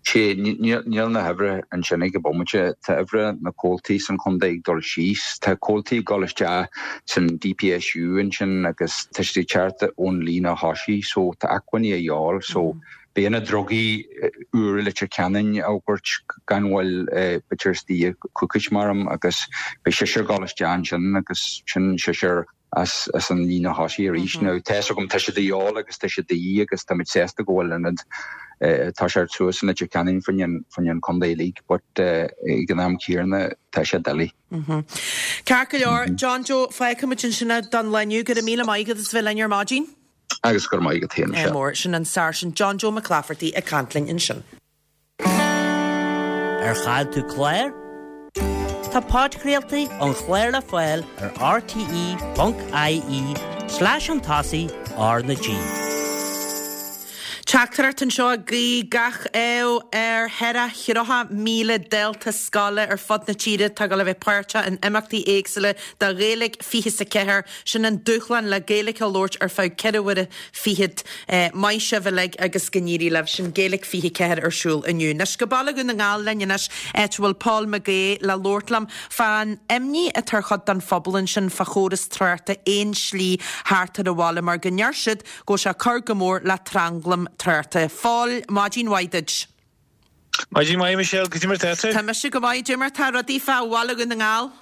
Sea, níl na huimhreacha ansin ag an bomaite. Tá uimhre na comhaltaí san chontae ag dul síos. Tá comhaltaí ag dul isteach san DPSU ansin agus tá siad ag teacht ón líne thosaigh so tá acmhainní a dhíobháil so beidh na drugaí úr i Leitir Ceanainn á dtabhairt gan mhoill b'fhéidir istigh coicís maram agus beidh seisear ag dul isteach ansin agus sin seisear as as an líne thosaigh arís. Now tá fhios agam tá siad de dhíobháil agus tá siad de dhíth agus táimid sásta go bhfuil ionad tá sé suas in Leitir Ceanainn fá choinne an contae uilig but ag an am céanna tá sé doiligh. Ceart go leor, John Joe, fágfaimid ansin é don lá inniu. Go raibh míle maith agat as bheith linn ar maidin. Agus go raibh maith agat féin, Michelle. Mór, sin an Sáirsint John Joe McClafferty ag caint linn ansin. Ar chaill tú clár? Tá podchraoltaí an chláir le fáil ar rte.ie slash chun tosaigh R na G. Teachtaireacht anseo ag guí gach ádh ar 34,000 dalta scoile ar fud na tíre atá ag dul a bheith páirteach in imeachtaí éagsúla do Ghaeilge 24. Sin an dúshlán le Gaeilge a labhairt ar feadh ceithre huaire fichead. Maith sibh uilig agus go n-éirí libh. Sin Gaeilge 24 ar siúl inniu. Anois go Baile Dhún na nGall linn anois, áit a bhfuil Paul McGaugh le labhairt liom fán imní atá ar chuid den phobal ansin fá chóras tráchta aon slí thart ar an bhaile mar go ndeir siad go bhfuil sé ag cur go mór le tranglam tráchta. Phóil, maidin mhaith duit. Maidin mhaith, Michelle, cad é mar tá tú? Tá mise go maith, cad é mar tá rudaí fá Bhaile Dhún na nGall?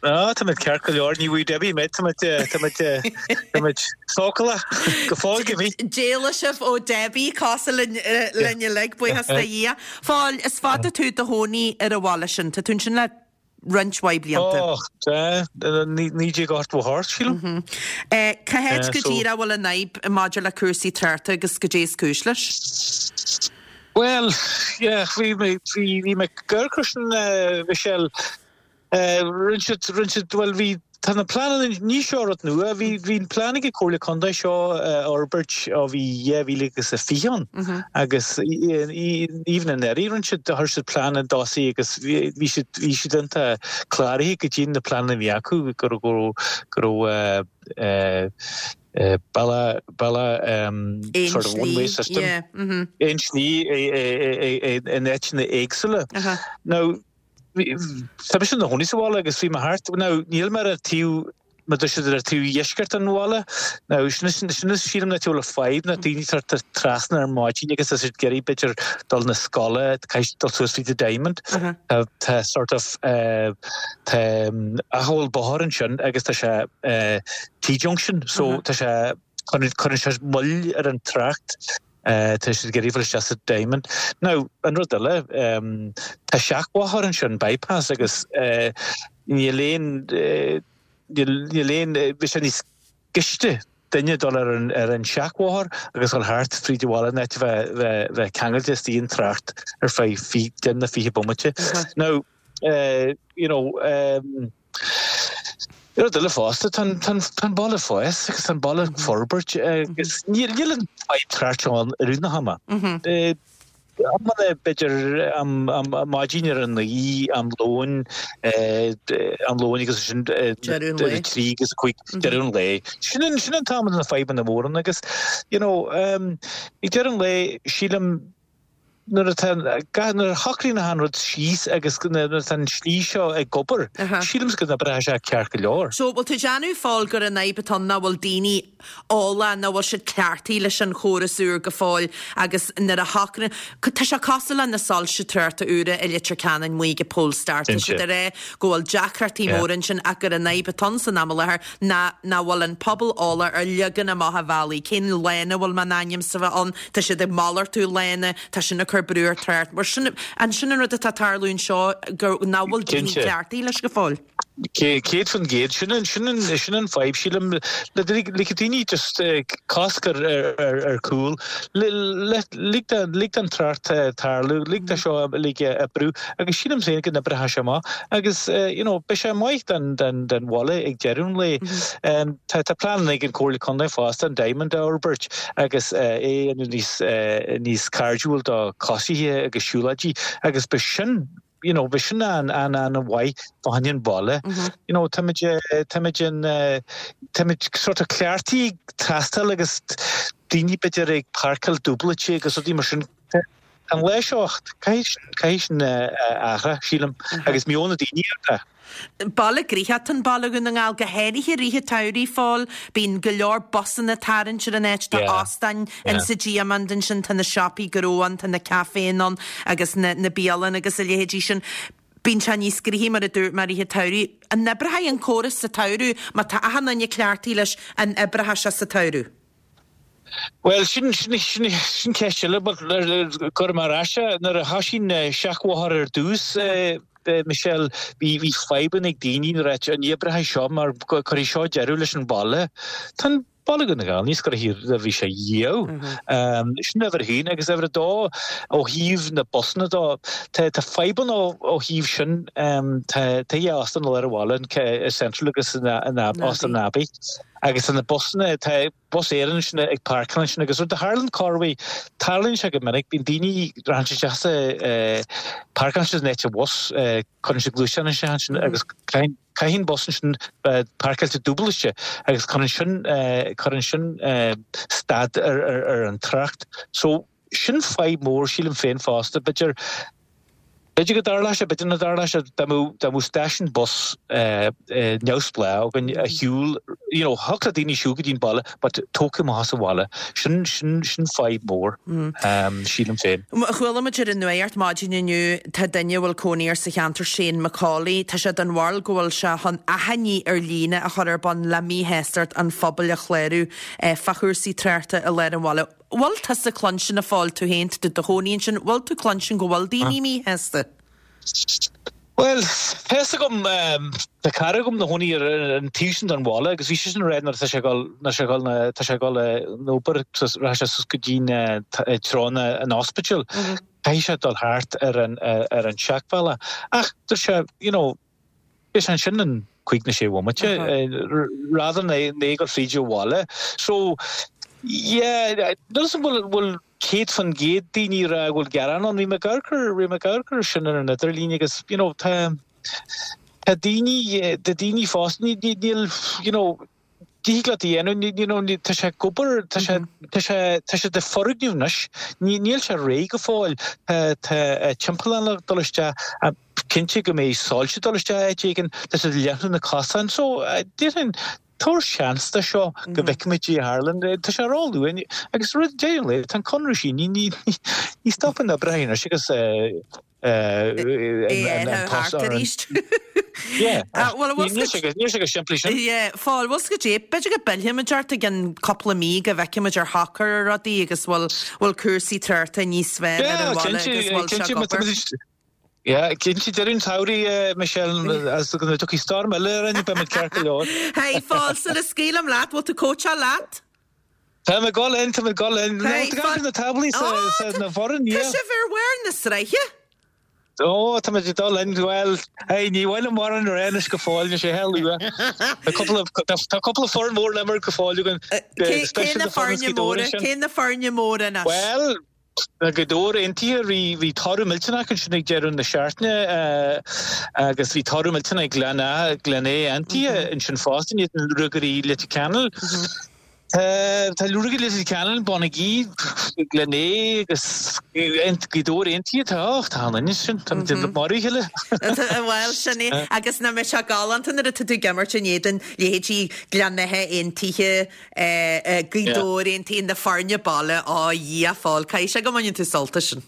Á, tá muid ceart go leor, ní bhfuair Debbie mé, tá muid, tá muid, tá muid sócalach go fóill go bhí. D'éalaigh sibh ó Debbie, cosúil linn, linn uilig, buíochas do Dhia. Phóil, is fada tú i do chónaí ar an bhaile sin, tá tú ansin le. roinnt mhaith blianta. Och, tá, 1988, sílim. Cá háit go díreach a bhfuil an fhadhb maidir le cúrsaí tráchta agus goidé is cúis leis? Bhuel, yeah, bhí mé, bhí mé ag amharc air sin, Michelle. Rinne siad, rinne siad, bhuel bhí, tá na pleananna, ní seo rud nua, bhí, bhí an plean ag an Comhairle Contae seo a fhorbairt ó bhí 2020 ann agus even anuraidh rinne siad, chuir siad plean i dtosaigh agus bhí siad, bhí siad iontach cláraithe go dtí na pleananna a bhí acu go raibh, go raibh, go raibh bealach, bealach sort of one way system, aon slí in áiteanna éagsúla. Now, Tá mise i mo chónaí sa bhaile agus bhí mé thart, now níl mé ar an taobh, mar a deir siad ar an taobh dheisceart den bhaile, now sin sin is sílim an áit a bhfuil an fadhb ná daoine ag teacht trasna ar maidin agus tá siad ag iarraidh b'fhéidir dul na scoile, caithfidh siad dul suas fríd an Diamond. Tá tá sort of tá acomhal bóthair ansin agus tá sé T-junction so tá sé cuireann sé moill ar an trácht. Tá siad ag iarraidh fáil isteach sa Diamond. Now, an rud eile, tá seachbhóthar ansin, bypass, agus níl aon, níl aon, bheadh sé níos gaiste duine dul ar an, ar an seachbhóthar agus dul thart fríd an bhaile in áit a bheith, bheith, bheith ceangailte istigh in trácht ar feadh 10 nó 20 bomaite. Now, you know, rud eile fosta, tá an baile ag fás agus tá an baile ag forbairt agus níl an fadhb trácht seo ann i rith na hama. Amanna b'fhéidir am maidin ar a 9, am lóin, am lóin agus sin ar a 3 agus a 5 deireadh an lae. Sin an t-am na fadhbanna móra ann agus you know, ag deireadh an lae sílim Nuair atá, nuair a shocraíonn achan rud síos agus nuair atá an slí seo ag obair, sílimse go n-oibreoidh sé ceart go leor. So, bhfuil tú ag déanamh a Phóil gur an fhadhb atá ann nach bhfuil daoine eolach, nach bhfuil siad cleachtaithe leis an chóras úr go fóill agus nuair a shocraíonn, tá sé cosúil le na soilse tráchta úra i Leitir Ceanainn amuigh ag Polestar, tá siad ag rá go bhfuil deacrachtaí móra ansin ach gur an fhadhb atá ann san am i láthair ná nach bhfuil an pobal eolach ar leagan amach an bhealaigh, cén lána a bhfuil m'ainmse a bheith ann, tá siad ag malartú lána, tá sin ag cur brú ar trácht. Mar sin, an sin an rud atá ag tarlú anseo, gur nach bhfuil daoine cleachtaithe leis go fóill? 100%, sin an, sin an, sin an fadhb, sílim, le ligfidh daoine just cosc ar, ar, ar cúl, lig lig don trácht tarlú, lig do seo uilig oibriú agus sílim féin go n-oibreoidh sé amach agus you know beidh sé maith don don don bhaile ag deireadh an lae. Tá tá pleananna ag an Comhairle Contae fosta an Diamond a fhorbairt agus é a dhéanamh níos níos cairdiúil do choisithe agus siúlóidí agus beidh sin you know beidh sin an an an-mhaith fá choinne an bhaile. You know táimid táimid in táimid sort of cleachtaithe ag tástáil agus daoine b'fhéidir ag páirceáil dúbailte agus rudaí mar sin. An lá seo, caithfidh sin athrú, sílim, agus meon na daoine atá. Baile gnoitheach atá in Baile Dhún na nGall, go háirithe i rith an tsamhraidh, a Phóil. Bíonn go leor busanna ag tarraingt ar an áit, tá óstáin in sa Diamond ansin, tá na siopaí gnó ann, tá na caiféanna ann agus na bialanna agus a leithéidí sin. Bíonn sé níos gnoithí, mar a dúirt mé, i rith an tsamhraidh. An oibreoidh an córas sa tsamhradh má tá achan duine cleachtaithe leis, an oibreoidh sé sa tsamhradh? Bhuel, sin, sin, sin, sin ceist eile, but cuirfidh mé ar ais é. Nuair a thoisigh an seachbhóthar ar dtús, Michelle, bhí, bhí fadhbanna ag daoine ag ráit ní oibreoidh seo mar cuirfidh seo deireadh leis an bhaile. Tá an baile Dhún na nGall níos gnoithí ná bhí sé riamh. Sin uimhir a haon agus uimhir a dó ó thaobh na busanna dó, tá, tá fadhbanna ó, ó thaobh sin, tá, tá dhá óstán i lár an bhaile, an Central agus an, an, Óstán an Abbey. Agus tá na busanna, tá Bus Éireann ansin ag páirceáil ansin agus rud a tharlaíonn corruair, tarlaíonn sé go minic, bíonn daoine, rachaidh siad isteach sa, páirceálann siad in áit an bhus, cuireann siad gluaisteán isteach ansin agus caithfidh an bus ansin bheith páirceáilte dúbailte agus cuireann sin, cuireann sin stad ar an trácht. So sin fadhb mór sílim féin fosta, b'fhéidir, B'fhéidir go dtarlódh sé, b'fhéidir nach dtarlódh sé, dá mbeadh, dá mbeadh stáisiún bus neamhspleách againn a shiúl, you know, thiocfadh le daoine siúl go dtí an baile but tógtha amach as an bhaile. Sin, sin, sin fadhb mór, sílim féin. Chuala muid ar an nuacht maidin inniu, tá duine a bhfuil cónaí air sa cheantar, Shane McCauley, tá sé den bharúil go bhfuil sé chun achainí ar líne a chur ar bun le míshástacht an phobail a chlárú fá chúrsaí tráchta i lár an bhaile. Bhfuil tusa cluinstin a Phóil, tú féin, tú i do chónaí ansin, bhfuil tú cluinstin go bhfuil daoine míshásta? Bhuel, tá fhios agam, tá cara agam ina chónaí ar an taobh sin den bhaile agus bhí seisean ag rá nuair atá sé ag dul, nuair sé ag dul, tá sé ag dul an obair, rachaidh sé suas go dtí na treo an ospidéil, caithfidh sé dul thart ar an, ar an seachbhealach. Ach dúirt sé, you know, beidh sé ansin in cúig nó sé bhomaite, rather than é ag dul fríd an bhaile. So, yeah, níl 'fhios agam bhfuil, bhfuil, 100% daoine ag rá go bhfuil gearán ann. Bhí mé ag amharc ar, bhí mé ag amharc ar sin ar an idirlíon agus, you know, tá, tá daoine, tá daoine fosta, ní, ní, níl, you know, thig leat a dhéanamh, ní, you know, ní, tá sé ag obair, tá sé, tá sé, tá sé de foirgneamh anois, ní, níl sé réidh go fóill, tá, tá timpeallán le dul isteach, cinnte go mbeidh soilse dul isteach áit éigin, tá siad ag leathnú na cosáin, so, déarfainn, Tabhair seans do seo go bhfeicfimid cad é a tharlaíonn. Tá sé ró-luath agus rud deireadh an lae, tá an conradh sínithe, ní stopann na oibreacha anois agus an post ar an. Yeah. Níl sé chomh simplí sin. Yeah, Phóil, bhfuil 's agat, b'fhéidir go bpillfimid ort i gceann cúpla mí go bhfeicfimid ar shocair rudaí agus bhfuil cúrsaí tráchta níos fearr ar an bhaile agus bhfuil sé ag obair. Yeah, cinnte, deireadh an tsamhraidh, Michelle, as go dtiocfaidh storm eile orainn, beidh muid ceart go leor. Hey, Phóil, sula scaoilim leat, bhfuil tú cóitseáil leat? Tá mé ag dul in, tá mé ag dul in. Hey, Tá gach na táblaí sa, sa, na bhfoireann, yeah. Tá sibh ar bharr na sraithe? Ó, tá muid ag dul in, bhuel, hey, ní mhaith liom mórán a rá anois go fóill, níl sé luath. Tá cúpla, tá cúpla foireann mhór le imirt go fóill againn. Cé, cé na foirne móra, cé na foirne móra anois? Bhuel, Gaoth Dobhair Aontaithe, bhí toradh millteanach ansin ag deireadh na seachtaine agus bhí toradh millteanach ag Gleann Gleann Átha Aontaithe ansin fosta in éadan Ruagairí Leitir Ceanainn. Tá Ruagairí Leitir Ceanainn, Bonagee, Gleann Átha agus Gaoth Dobhair Aontaithe, tá, och, tá an ansin, tá muid ag marú a chéile. Bhuel, sin é. Agus nach mbeidh sé galánta nuair atá tú ag imirt in éadan leithéidí Gleann Átha Aontaithe, Gaoth Dobhair Aontaithe na foirne baile, á Dhia, a Phóil, caithfidh sé go mbaineann tú sult as sin.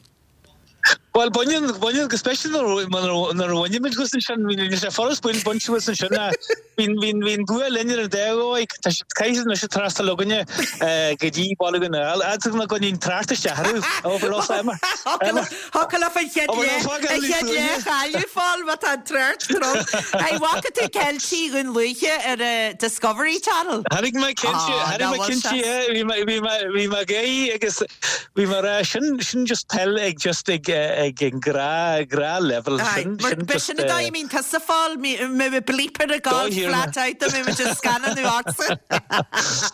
Bhuel, baineann, baineann, go speisialta nuair a bhaineann muid thuas ansin, níl sé furast baint thuas ansin ach bíonn, bíonn, bíonn bua linn ar an dá dhóigh. Tá siad, caithfidh siad anois trasna againne go dtí Baile Dhún na nGall, fhad nach gcoinníonn trácht isteach orthu, obair os Emma. Thiocfadh leat an chéad leath, an chéad leath a chailleadh, a Phóil, má tá an trácht trom. Hey, bhfaca tú Ceiltigh Dhún Lúiche ar an Discovery Channel? Chonaic mé cinnte, chonaic mé cinnte, yeah, bhí mé, bhí mé, bhí mé ag éirí agus bhí mé ag rá, sin, sin just peil ag just ag, ag an ghnáth, gnáth level, sin, sin just. Sin an dóigh a mbíonn tusa, a Phóil, mbeidh bleeper ag gabháil flat out dá mbeidh muid ag scannánú ortsa.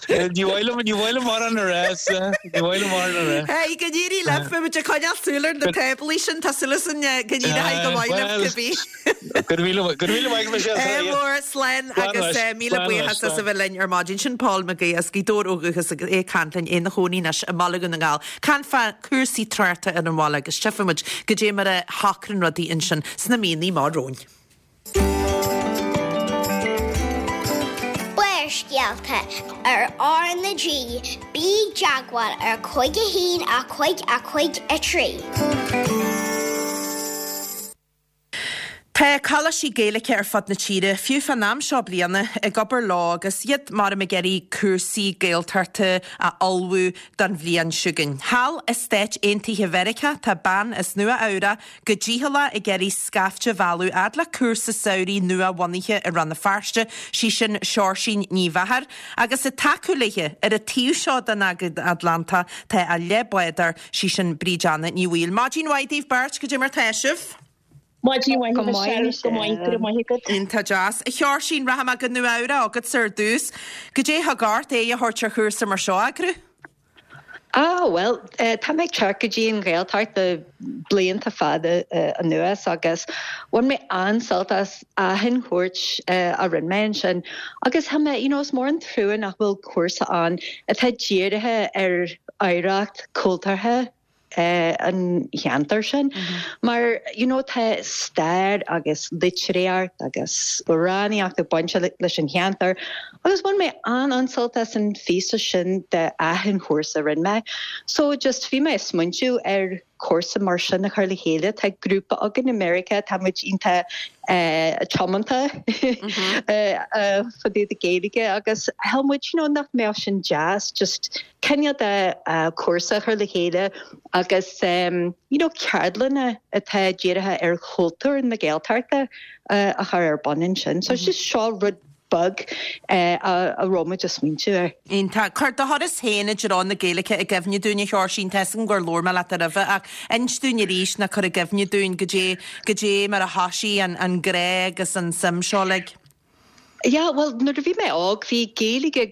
Ní mhaith liom, ní mhaith liom mórán a rá, ní mhaith liom mórán a rá. Hey, go n-éirí libh, beidh muid ag coinneáil súil ar na táblaí sin, tá súil againn go n-éireoidh go maith libh cibé. Go raibh míle, go raibh míle maith agat Michelle. Ádh mór, slán agus míle buíochas as a bheith linn ar maidin. Sin Paul McGee as Gaoth Dobhair ó dhúchas agus é ag caint linn, é ina chónaí anois i mBaile Dhún na nGall. Caint fá cúrsaí tráchta ar an bhaile agus tchífidh muid goidé mar a shocraíonn rudaí ansin sna míonna amach romhainn. Barrscéalta ar R na G, bí i dteagmháil ar 5 1 5 5 3. Tá coláistí Gaeilge ar fud na tíre, fiú fán am seo bliana, ag obair leo agus iad maram ag iarraidh cúrsaí Gaeltachta a ullmhú don bhliain chugainn. Thall i Stáit Aontaithe Mheiriceá tá bean as Nua Eabhrac go dícheallach ag iarraidh scaifte a mhealladh fhad le cúrsa samhraidh nua-bhunaithe i Rann na Feirste, sí sin Seoirsín Ní Mheachair, agus ag tacú léi ar an taobh seo den Atlantach tá a leathbhádóir, sí sin Bríd Anna Ní Bhaoill. Maidin mhaith daoibh beirt, goidé mar tá sibh? Maidin mhaith, Michelle. Go maith, go raibh maith agat. Iontach deas. A Sheoirsín, rachaidh mé go Nua Eabhrac agatsa ar dtús. Goidé a thug ort aghaidh a thabhairt ar chúrsa mar seo a eagrú? Ah, bhuel, tá mé ag teacht go dtí an Ghaeltacht le blianta fada anuas agus bhain mé an-sult as achan chuairt a rinne mé ansin agus tá mé, you know, is mór an trua nach bhfuil cúrsa ann atá dírithe ar oidhreacht cultúrtha an cheantair sin mar you know tá stair agus litríocht agus amhránaíocht ag baint leis an cheantar agus bhain mé an-an-sult as an phíosa sin de achan chúrsa a rinne mé. So just bhí mé ag smaointiú ar. cúrsa mar sin a chur le chéile. Tá grúpa againn i Meiriceá, tá muid iontach tiomanta fá dtaobh de Gaeilge agus shíl muid you know nach mbeadh sin deas just cineál de cúrsa a chur le chéile agus you know ceardlanna atá dírithe ar chultúr na Gaeltachta a chur ar bun ansin. So just seo rud beag a raibh muid ag smaointiú air. Iontach. Cuir do thuras féin i dtreo na Gaeilge i gcuimhne dúinn, a Sheoirsín. Tá 'fhios agam gur labhair mé leat roimhe ach inis dúinn arís nó cuir i gcuimhne dúinn goidé, goidé mar a thoisigh an, an grá agus an suim seo uilig. Yeah, bhuel, nuair a bhí mé óg, bhí Gaeilge,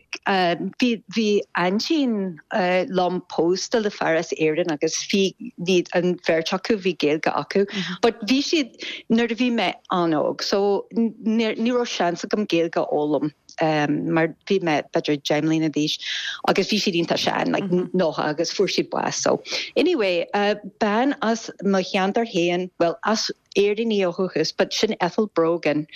bhí, bhí aintín liom pósta le fear as Éirinn agus bhí, bhí an bheirt acu, bhí Gaeilge acu. But bhí siad, nuair a bhí mé an-óg, so ní, ní raibh seans agam Gaeilge a fhoghlaim mar bhí mé b'fhéidir 10 mbliana d'aois agus bhí siad iontach sean, like 90 agus fuair siad bás. So anyway, bean as mo cheantar féin, bhuel, as Éirinn í ó dhúchas, but sin Ethel Brogan,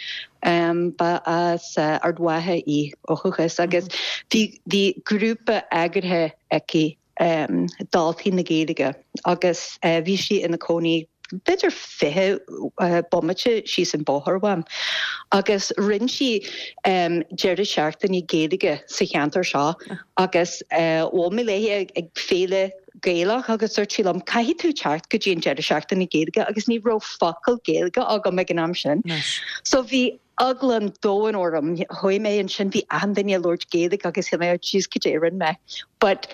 ba as Ard Mhacha í ó dhúchas agus bhí, bhí grúpa eagraithe aici, Daltaí na Gaeilge, agus bhí sí ina cónaí b'fhéidir 20 bomaite síos an bóthar uaim agus rinne sí deireadh seachtaine Gaeilge sa cheantar seo agus bhuail mé léi ag féile Gaelach agus dúirt sí liom, 'Caithfidh tú teacht go dtí an deireadh seachtaine Gaeilge' agus ní raibh focal Gaeilge agam ag an am sin. So bhí eagla an domhain orm. Chuaigh mé ansin, bhí achan duine ag labhairt Gaeilge agus shíl mé, oh jeez, cad é a rinne mé? But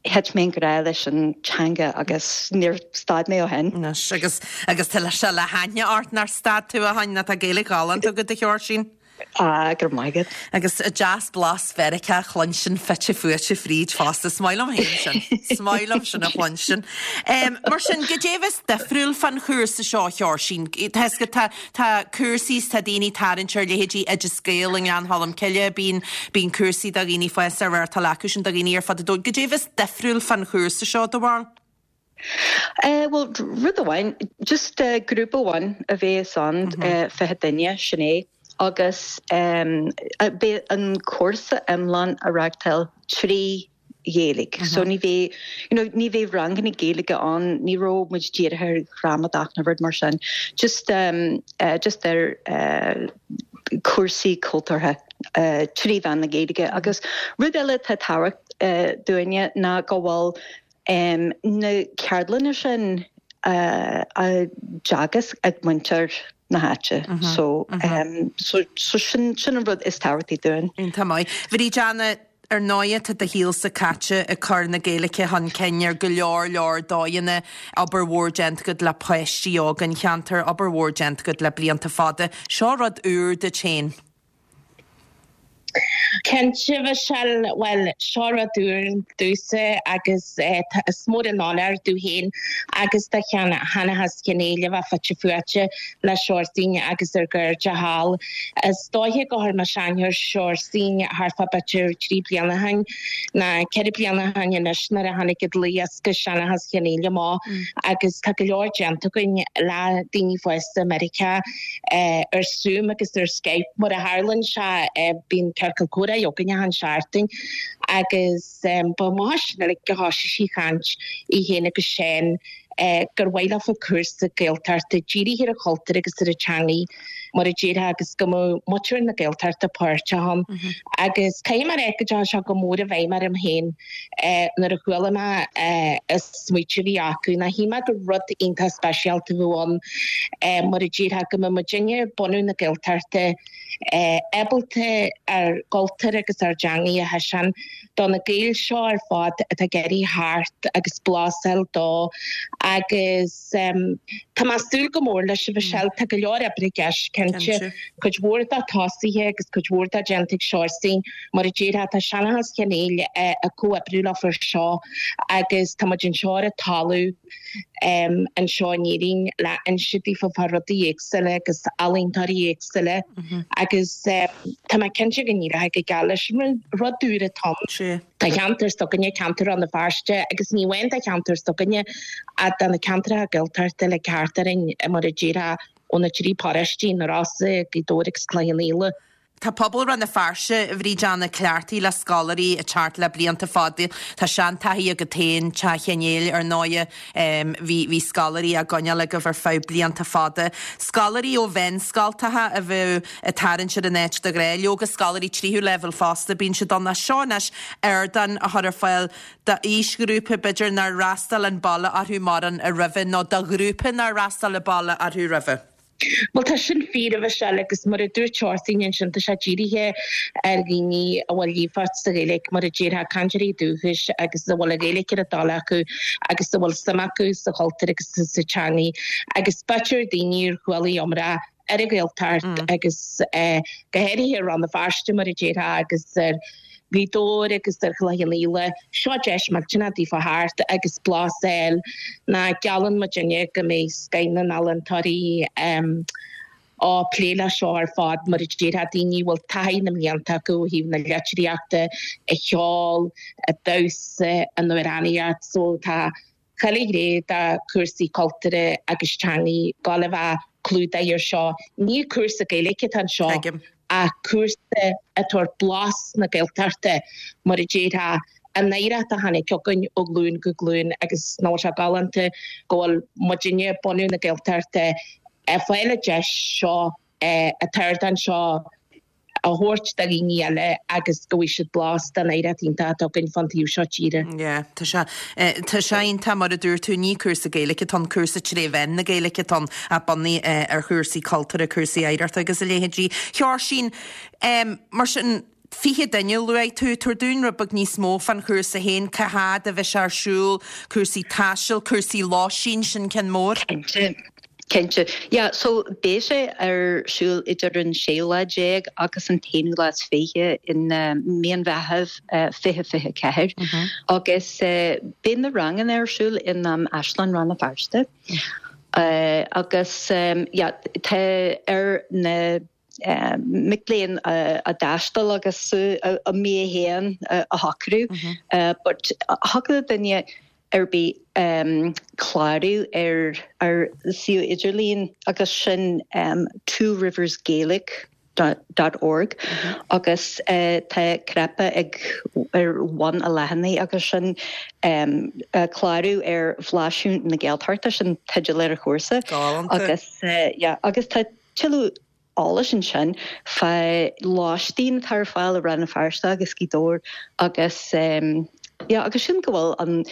thit mé i ngrá leis an teanga agus níor stad mé ó shin. Anois, agus, agus tá sé le haithne ort nár stad tú ó shin, nó tá Gaeilge ghalánta agat, a Sheoirsín. Ah, go raibh maith agat. Agus deas blas Mheiriceá a chluinstin fite fuaite fríd fosta. Is maith liom féin sin. Is maith liom sin a chluinstin. Mar sin, goidé a bheas difriúil fán chúrsa seo, a Sheoirsín? Tá 'fhios agat, tá, tá cúrsaí is tá daoine ag tarraingt ar leithéidí Oideas Gael i nGleann Cholm Cille, bíonn, bíonn cúrsaí do dhaoine fásta á reáchtáil acu sin do dhaoine ar fud an domhain. Goidé a bheas difriúil fán chúrsa seo, do bharúil? Bhuel, rud amháin, just grúpa amháin a bheas ann, 20 duine, sin é, agus beidh an cúrsa iomlán á reáchtáil trí Ghaeilge. So ní bheidh, you know, ní bheidh ranganna Gaeilge ann, ní raibh muid dírithe ar ghramadach nó rud mar sin, just, just ar chúrsaí cultúrtha trí mheán na Gaeilge. Agus rud eile atá tábhachtach dúinne ná go bhfuil na ceardlanna sin á dteagasc ag muintir na háite. So, so, so sin, sin an rud is tábhachtaí dúinn. Iontach maith. Bríd Anna, ar ndóighe tá do shaolsa caite ag cur na Gaeilge chun cinn ar go leor leor dóigheanna, obair mhór déanta agat le páistí óga an cheantair, obair mhór déanta agat le blianta fada. Seo rud úr duit féin. Cinnte, a Mhichelle, bhuel, seo rud úr domhsa agus is mór an onóir domh féin agus do Sheanchas Chionn Fhaola a bheith fite fuaite le Seoirsín agus ár gcairde thall. Is dóiche gur chuir mé aithne ar Seoirsín thart fá b'fhéidir 3 bliana ó shin nó 4 bliana ó shin anois nuair a tháinig an dlúthdhiosca Seanchas Chionn Fhaola amach agus tá go leor déanta againn le daoine fásta i Meiriceá ar Zoom agus ar Skype. Mar a tharlaíonn sé, bíonn ciorcal comhrá againn achan seachtain agus ba amach as sin uilig a thoisigh sí ag caint, í féin agus Seán, gur mhaith leofa cúrsa Gaeltachta dírithe ar an chultúr agus ar an teangaidh, mar a déarfá, agus go mbeadh muintir na Gaeltachta páirteach ann. Agus caithfidh mé a rá go dteachaigh sé go mór i bhfeidhm orm féin. Nuair a chuala mé an smaoitiú a bhí acu, ná shíl mé gur rud iontach speisialta a bheadh ann, mar a déarfá, go mbeadh muidinne, bunadh na Gaeltachta, ábalta ár gcultúr agus ár dteangaidh a thaispeáint do na Gaeil seo ar fad atá ag iarraidh theacht agus blas a fháil dó agus tá mé ag súil go mór leis, a Mhichelle. Tá go leor oibre i gceist, cinnte. Cuid mhór de tosaithe agus cuid mhór de déanta ag Seoirsín. Mar a déarfá, tá Seanchas Chionn Fhaola ag comhoibriú leofa ar seo agus tá muid anseo ar an talamh anseo in Éirinn le inse daofa fá rudaí éagsúla agus ealaíontóirí éagsúla agus tá mé cinnte go n-éireoidh go geal leis. Rud úr atá ann do cheantar s'againne, ceantar Rann na Feirste agus ní amháin do cheantar s'againne ach do na ceantracha Gaeltachta uilig thart orainn mar a déarfá ó na trí paróistí, na Rosa, Gaoth Dobhair agus Cloich Cheann Fhaola. Tá pobal Rann na Feirste, a Bhríd Anna, cleachtaithe le scoláirí ag teacht le blianta fada. Tá seantaithí agat féin, Teach Cheann Néill, ar ndóighe. Bhí bhí scoláirí á gcoinneáil agaibh ar feadh blianta fada. Scoláirí ó mheánscoltacha a bheadh ag tarraingt ar an áit de ghnáth. Leoga scoláirí tríú leibhéal fosta, bíonn siad ann. Ach seo anois ardán a chur ar fáil d'aoisghrúpa b'fhéidir nár fhreastail an baile orthu mórán roimhe nó do ghrúpa nár fhreastail an baile orthu roimhe. Bhuel, tá sin fíor, a Mhichelle, agus mar a dúirt Oisín ansin, tá sé dírithe ar dhaoine a bhfuil líofacht sa Ghaeilge, mar a déarfá, cainteoirí dúchais agus a bhfuil an Ghaeilge ar a dtoil acu agus a bhfuil suim acu sa chultúr agus sa teangaidh agus b'fhéidir daoine ar chuala iomrá ar an Ghaeltacht agus go háirithe i Rann na Feirste, mar a déarfá, agus ar Ghaoth Dobhair agus ar Chloich Cheann Fhaola, seo deis millteanach daofa theacht agus blas a fháil ná geallann muidinne go mbeidh scoith na n-ealaíontóirí á plé le seo ar fad mar a déarfá, daoine a bhfuil taithí na mblianta acu ó thaobh na litríochta, an cheoil, an damhsa, an amhránaíocht so tá chuile ghné de chúrsaí cultúrtha agus teangaidh ag gabháil a bheith clúdaithe ar seo. Ní cúrsa Gaeilge atá anseo ach cúrsa ag tabhairt blas na Gaeltachta, mar a déarfá, an oidhreacht a tháinig chugainn ó ghlúin go glúin agus nach bhfuil sé galánta go bhfuil muidinne, bunadh na Gaeltachta, ag fáil an deis seo, an t-ardán seo a thabhairt do dhaoine eile agus go bhfaighidh siad blas den oidhreacht iontach atá againn fán taobh seo tíre. Yeah, tá sé, tá sé iontach mar a dúirt tú, ní cúrsa Gaeilge atá ann, cúrsa tré mheán na Gaeilge atá ann ach bunaithe ar chúrsaí cultúrtha, cúrsaí oidhreachta agus a leithéidí. A Sheoirsín, mar sin, 20 duine a luaigh tú, tabhair dúinn rud beag níos mó fán chúrsa féin, cá fhad a bheidh sé ar siúl, cúrsaí taistil, cúrsaí lóistín, sin ceann mór. Cinnte. Cinnte. Yeah, so beidh sé ar siúl idir an séú lá déag agus an t-aonú lá is fiche in mí an Mheithimh 2024 agus beidh na ranganna ar siúl in Áislann Rann na Feirste agus yeah, tá ar na mic léinn a dtaisteal agus a mbia féin a shocrú but thiocfadh le duine ar bith clárú ar ár suíomh idirlín agus sin tworiversgaelic dot org agus tá cnaipe ag ar bhun an leathanaigh agus sin clárú ar Bhlaiseadh na Gaeltachta sin teideal ar an chúrsa agus yeah agus tá Tuilleadh eolais ansin fá lóistín atá ar fáil i Rann na Feirste agus Gaoth Dobhair agus yeah agus sílim go bhfuil an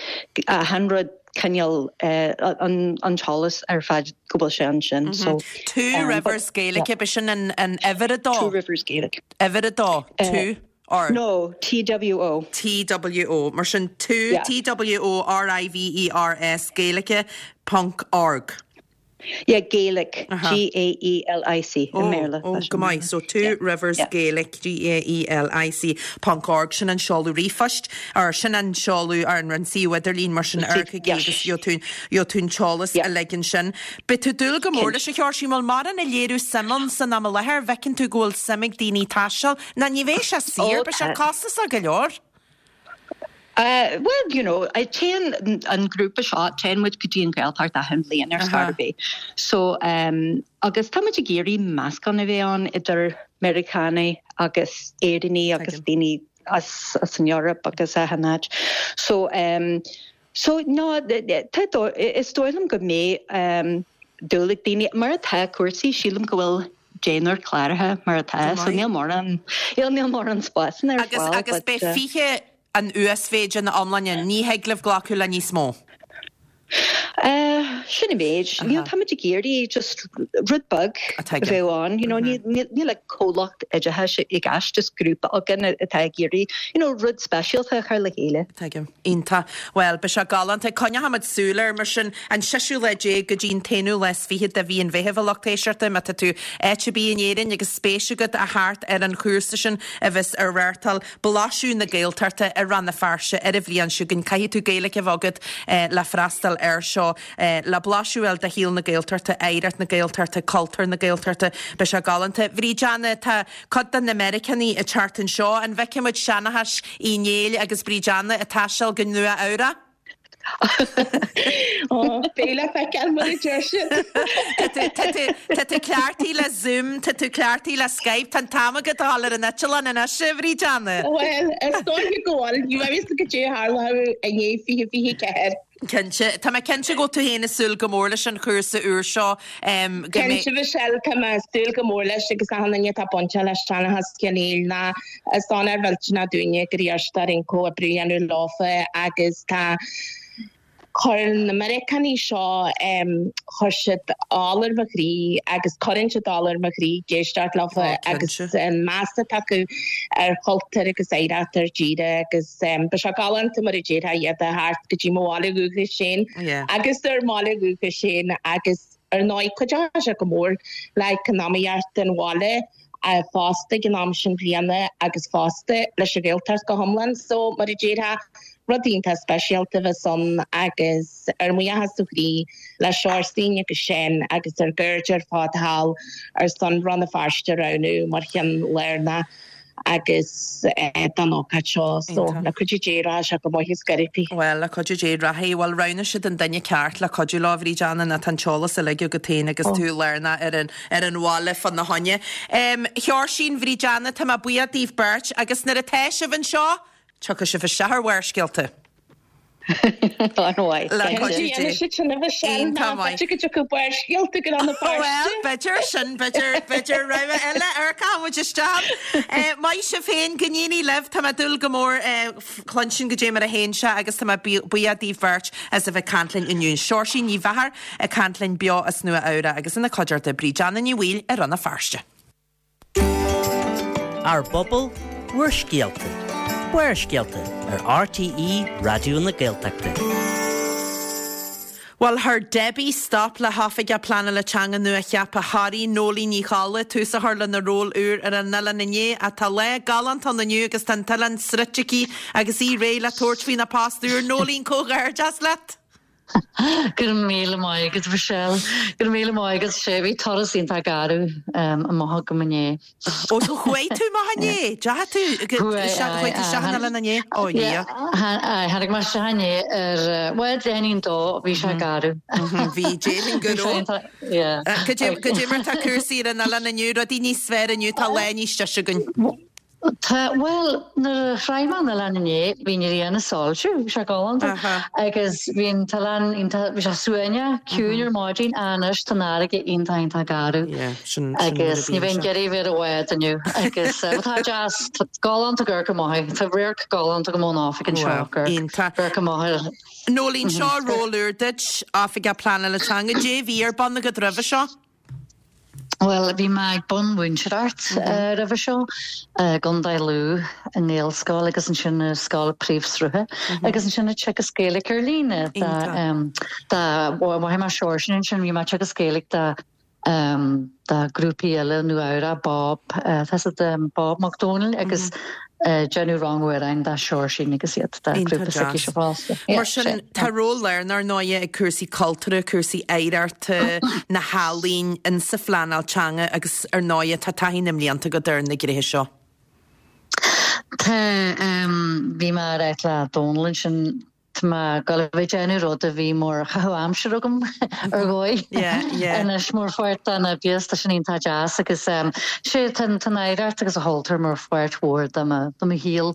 achan rud cineál an an t-eolas ar fad go bhfuil sé ansin so Two Rivers Gaelic ab sin an an uimhir a dó? Two Rivers Gaelic. Uimhir a dó, two or? No, TWO. TWO, mar sin two, T-W-O R-I-V-E-R-S Gaelic ponc org. Yeah, Gaelic, G-A-E-L-I-C, i mBéarla. Oh, go maith. So, Two Rivers Gaelic, G-A-E-L-I-C, ponc org, sin an seoladh ríomhphoist, or sin an seoladh ar an suíomh idirlín, mar sin, amharcaigí agus gheobhaidh tú an t-eolas uilig ansin. Beidh tú ag dúil go mór leis, a Sheoirsín, bhfuil mórán ag léiriú suim ann san am i láthair, bhfeiceann tú go bhfuil suim ag daoine taisteal, ná ní bheidh sé saor, beidh sé costasach go leor. Bhuel, you know, téann an grúpa seo, téann muid go dtí an Ghaeltacht achan bhliain ar scor ar bith. So, agus tá muid ag iarraidh meascán a bheith ann idir Meiriceánaigh agus Éireannaigh agus daoine as an Eoraip agus achan áit. So, so, no, tá, is dóigh liom go mbeidh dúil ag daoine, mar atá cúrsaí, sílim go bhfuil deichniúr cláraithe mar atá, so níl mórán, níl mórán spásanna ar fáil. Agus beidh 20 an uasmhéid ina iomláine, ní thig libh glacadh le níos mó? Sin an méid. Níl, táimid ag iarraidh just rud beag a bheith ann, you know, níl like comhlacht oideachais i gceist, just grúpa againn atá ag iarraidh, you know, rud speisialta a chur le chéile. Tuigim. Iontach. Bhuel, beidh sé galánta. Coinneochaimid súil air, mar sin, an seisiú lá déag go dtí an t-aonú lá is fichead de mhí an Mheithimh, a lucht éisteachta, má tá tú áit ar bith in Éirinn agus spéis agat a theacht ar an chúrsa sin a bheas á reáchtáil, Blaiseadh na Gaeltachta i Rann na Feirste ar an bhliain seo chugainn. Caithfidh tú Gaeilge a bheith agat le freastal air seo. Le blaiseadh a fháil de shaol na Gaeltachta, oidhreacht na Gaeltachta, cultúr na Gaeltachta. Beidh sé galánta. Bhríd Anna, tá cuid de na Meiriceánaigh ag teacht anseo. An bhfeicfidh muid seanchas Uí Néill agus Bríd Anna ag taisteal go Nua Eabhrac? Ó, beidh le feiceáil mar a deir siad. Tá tú cleachtaithe le Zoom, tá tú cleachtaithe le Skype, tá an t-am agat a dhul ar an eitleán anois, a Bhríd Anna. Bhuel, is dóiche go bhfuil. Ní raibh fhios agat cad é a tharlódh i ndiaidh 2024. Cinnte. Tá mé cinnte go bhfuil tú féin ag súil go mór leis an chúrsa úr seo. Go mbeidh. Cinnte, Michelle, tá mé ag súil go mór leis agus achan duine atá bainteach leis Teanachas Cionn Éil ná is onóir mhillteanach dúinne gur iarrtar orainn comhoibriú a dhéanamh leofa agus tá Chuir na Meiriceánaigh seo, chuir siad ola ar mo chroí agus cuireann siad ola ar mo chroí ag éisteacht leofa agus an meas atá acu ar chultúr agus oidhreacht ár dtíre agus ba sé galánta mar a déarfá iad a theacht go dtí mo bhaile dhúchais féin agus ár mbaile dhúchais féin agus ar ndóigh cuideoidh sé go mór le eacnamaíocht an bhaile fosta ag an am sin bliana agus fosta leis an Ghaeltacht go hiomlán. So, mar a déarfá, rud iontach speisialta a bheas ann agus ár mbuíochas ó chroí le Seoirsín agus Seán agus ár gcairde ar fad thall ar son Rann na Feirste a roghnú mar cheann lárnach agus don ócáid seo. So, le cuidiú Dé rachaidh sé go maith is scairpí. Bhuel, le cuidiú Dé rachaidh. Bhuel, roghnaigh siad an duine ceart le cuidiú leo, a Bhríd Anna, nó tá an t-eolas uilig agat féin agus tú lárnach ar an, ar an bhaile fána choinne. A Sheoirsín, Bhríd Anna, tá mé buíoch daoibh beirt agus nuair atá sibh anseo, tiocfaidh sibh isteach ar Bharrscéalta. An-mhaith. Le cuidiú Dé. Iontach maith. B'fhéidir go dtiocfadh Barrscéalta go Rann na Feirste. Bhuel, b'fhéidir sin, b'fhéidir, b'fhéidir rogha eile ar caithfidh muid isteach. Maith sibh féin, go n-éirí libh, tá mé ag dúil go mór cluinstin goidé mar a théann sé agus tá mé buíoch daoibh beirt as a bheith ag caint linn inniu. Seoirsín Ní Mheachair ag caint linn beo as Nua Eabhrac agus ina cuideachta Bríd Anna Ní Bhaoill i Rann na Feirste. Ár bpobal, bhur scéalta. Barrscéalta ar RTÉ Raidió na Gaeltachta. Bhuel, chuir Debbie stop le hOifigeach Pleanála Teanga nua-cheaptha Thoraí, Nóiléan Ní Cholla, tús a chur lena ról úr ar an oileán inné. Ach tá lá galánta ann inniu agus tá an t-oileán sroichte aici agus í réidh le tabhairt faoina post úr. Nóiléan, comhghairdeas leat! Go raibh míle maith agat, Michelle. Go raibh míle maith agat. Sé, bhí turas iontach garbh amach agam inné. Ó, so chuaigh tú amach inné? Deachaigh tú, chuaigh tú isteach an oileán inné? Ó, a Dhia. Tháinig mé isteach inné ar, bhuel, deich i ndiaidh a dó, bhí sé garbh. Bhí, déarfainn go raibh. Goidé mar tá cúrsaí ar an oileán inniu, rudaí níos fearr inniu, tá lá níos deise againn. Tá, bhuel, nuair a shroich mé an oileán inné, bhí an ghrian ag soilsiú, bhí sé galánta, agus bhí an t-oileán iontach, bhí sé suaimhneach, ciúin ar maidin, ach anois tá an fharraige iontach, iontach garbh. Agus ní bheinn ag iarraidh bheith ar an bhád inniu. Agus tá deas, tá galánta ag amharc amach, tá radharc galánta agam ón oifig anseo, amharc amach ar. Nóiléan, seo ról úr duit, Oifigeach Pleanála Teanga, goidé a bhí ar bun agat roimhe seo? Bhuel, bhí mé ag bunmhúinteoireacht roimhe seo i gContae Lú i nGaelscoil agus ansin i scoil príomhshrutha agus ansin ag teagasc Gaeilge ar líne do mhaith mé Seoirse ansin bhí mé ag teagasc Gaeilge do do grúpaí eile Nua Eabhrac, Bob, tá Bob Mac Dónaill agus déanamh rang amhráin do Seoirsín agus iad do grúpa s'aici fosta. Mar sin, tá ról lárnach ar ndóighe ag cúrsaí cultúrtha, cúrsaí oidhreachta, na healaín, insa phleanáil teanga agus ar ndóighe tá taithí na mblianta agat ar na gnéithe seo. Tá, bhí mé ar áit le Dónal ansin Tá mé ag dul a bheith ag déanamh rud a bhí mar chaitheamh aimsire agam ar dhóigh anois mar pháirt den obair tá sin iontach deas agus sé tá an oidhreacht agus an chultúr mar pháirt mhór de mo de mo shaol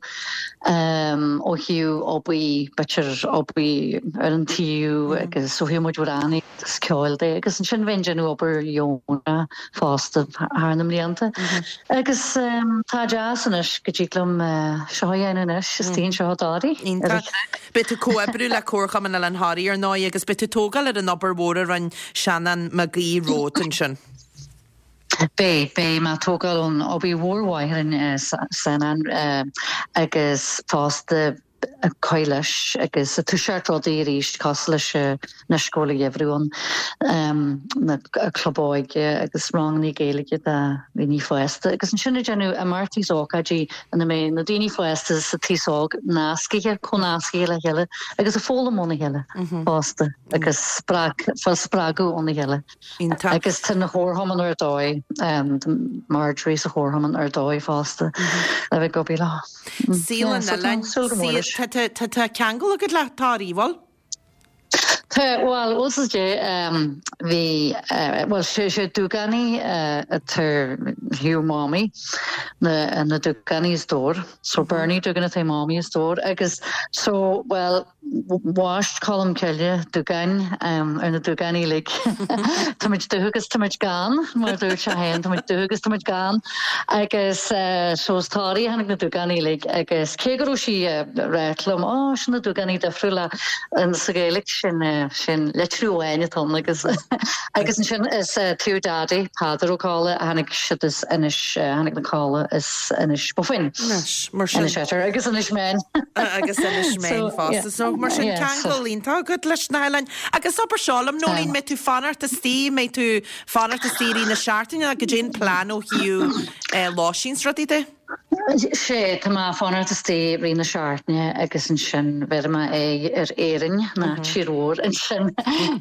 ó thaobh obair b'fhéidir obair ar an taobh agus ó thaobh mo chuid amhránaíocht agus ceoil de agus ansin bheinn ag déanamh obair dheonach fosta thar na mblianta. Agus tá deas anois go dtig liom seo a dhéanamh anois istigh anseo i dToraigh. Iontach. Beidh tú ag comhoibriú le Comharchumann Oileán Thoraí ar ndóigh agus beidh tú ag tógáil ar an obair mhór a rinne Seanán Mac Aoidh romhat ansin. Beidh, beidh mé ag tógáil ón obair mhór mhaith a rinne Seanán agus fosta ag cur leis agus ag toiseacht rudaí arís cosúil leis anois go bhfuil an geimhreadh ann, na club óige agus ranganna Gaeilge do dhaoine fásta agus ansin ag déanamh imeachtaí is ócáidí ina mbeidh na daoine fásta is an t-aos óg nascaithe, comhnascaithe le chéile agus ag foghlaim óna chéile fosta agus spreag, fáil spreagadh óna chéile. Agus tá na Comharchumann ar dóigh, Marjorie sa Chomharchumann ar dóigh fosta le bheith ag obair leo. Saol an oileáin, tá ceangal agat le Toraigh, bhfuil? Tá, bhuel, bhuel is é, bhí, bhuel, sé sé Dúgánaigh atá thiar Mamaí, na na Dúgánaigh is dór. So Bernie Dúgan atá Mamaí is dór agus so, bhuel, Bhaist Colm Cille Dúgáin ar na Dúgánaigh uilig. Táimid dubh agus táimid gann, mar a dúirt sé féin, táimid dubh agus táimid gann. Agus so as Toraigh a tháinig na Dúgánaigh uilig agus cé go raibh sí ag ráit liom, Ó, sin na Dúgánaigh difriúla sa Ghaeilge, sin sin litriú amháin atá ann agus agus ansin is taobh Daddy, Peadar Ó Colla, a tháinig siad as Inis, tháinig na Colla as Inis Bofin. Anois, mar sin. Inis Oirthir agus Inis Meáin. Agus Inis Meáin fosta. So, mar sin, ceangal iontach agat leis na hoileáin. Agus abair seo liom, Nóirín, mbeidh tú fanacht istigh, mbeidh tú fanacht istigh i rith na seachtaine nó goidé an plean ó thaobh lóistín 's rudaí de? Sea, tá mé fanacht istigh i rith na seachtaine agus ansin bhéarfaidh mé aghaidh ar Éirinn, ná tír mhór ansin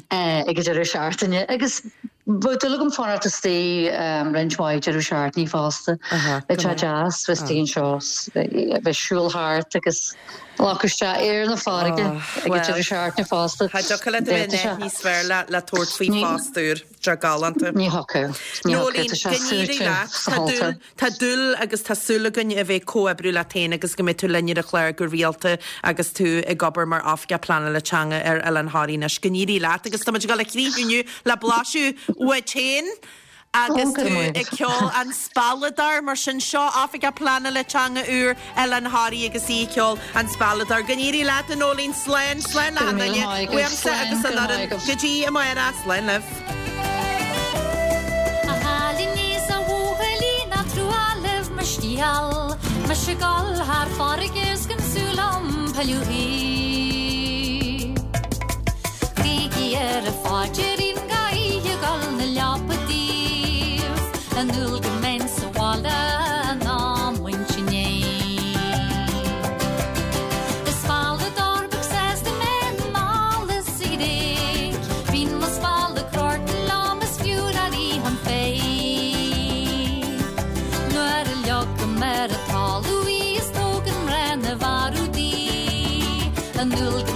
ag an deireadh seachtaine. Agus bheadh dúil agam fanacht istigh roinnt mhaith deireadh seachtainí fosta. Bheadh sé deas bheith istigh anseo, bheith ag siúl thart agus glacadh isteach aer na farraige ag an deireadh seachtaine fosta. Cha dtiocfadh leat a bheith in áit níos fearr le tabhairt faoi phost úr. Tá galánta. Ní thiocfadh. Ní thiocfadh. Tá sé suaite sa chultúr. Tá dúil agus tá súil againn a bheith ag comhoibriú leat féin agus go mbeidh tú linn ar an chlár go rialta agus tú ag obair mar Oifigeach Pleanála Teanga ar Oileán Thoraí anois. Go n-éirí leat agus tá muid ag dul a chríochnú inniu le blaiseadh uait féin agus tú ag ceol An Spealadóir. Mar sin, seo Oifigeach Pleanála Teanga úr Oileán Thoraí agus í ag ceol An Spealadóir. Go n-éirí leat, a Nóirín. Slán, slán le Go raibh míle maith agat. Uaimse agus an fhoireann. Go dtí amárach. Slán libh. A chailíní 's a bhuachaillí ná trua libh mo scéal, Mise ag dul thar farraige 's gan súil a'm pilleadh. Guígí ar an phaidrín gach oíche ag dul 'na leapa daoibh, An dúil go mbeinn sa bhaile in am muintir inné. Is spealadóir beag sásta mé anall is sa Ghréig, Bíonn mo spalladh crorta liom is fiú le rith an féich. Nuair a leagaim ar an talamh í is tógann mná na bhfear di, an dúil go.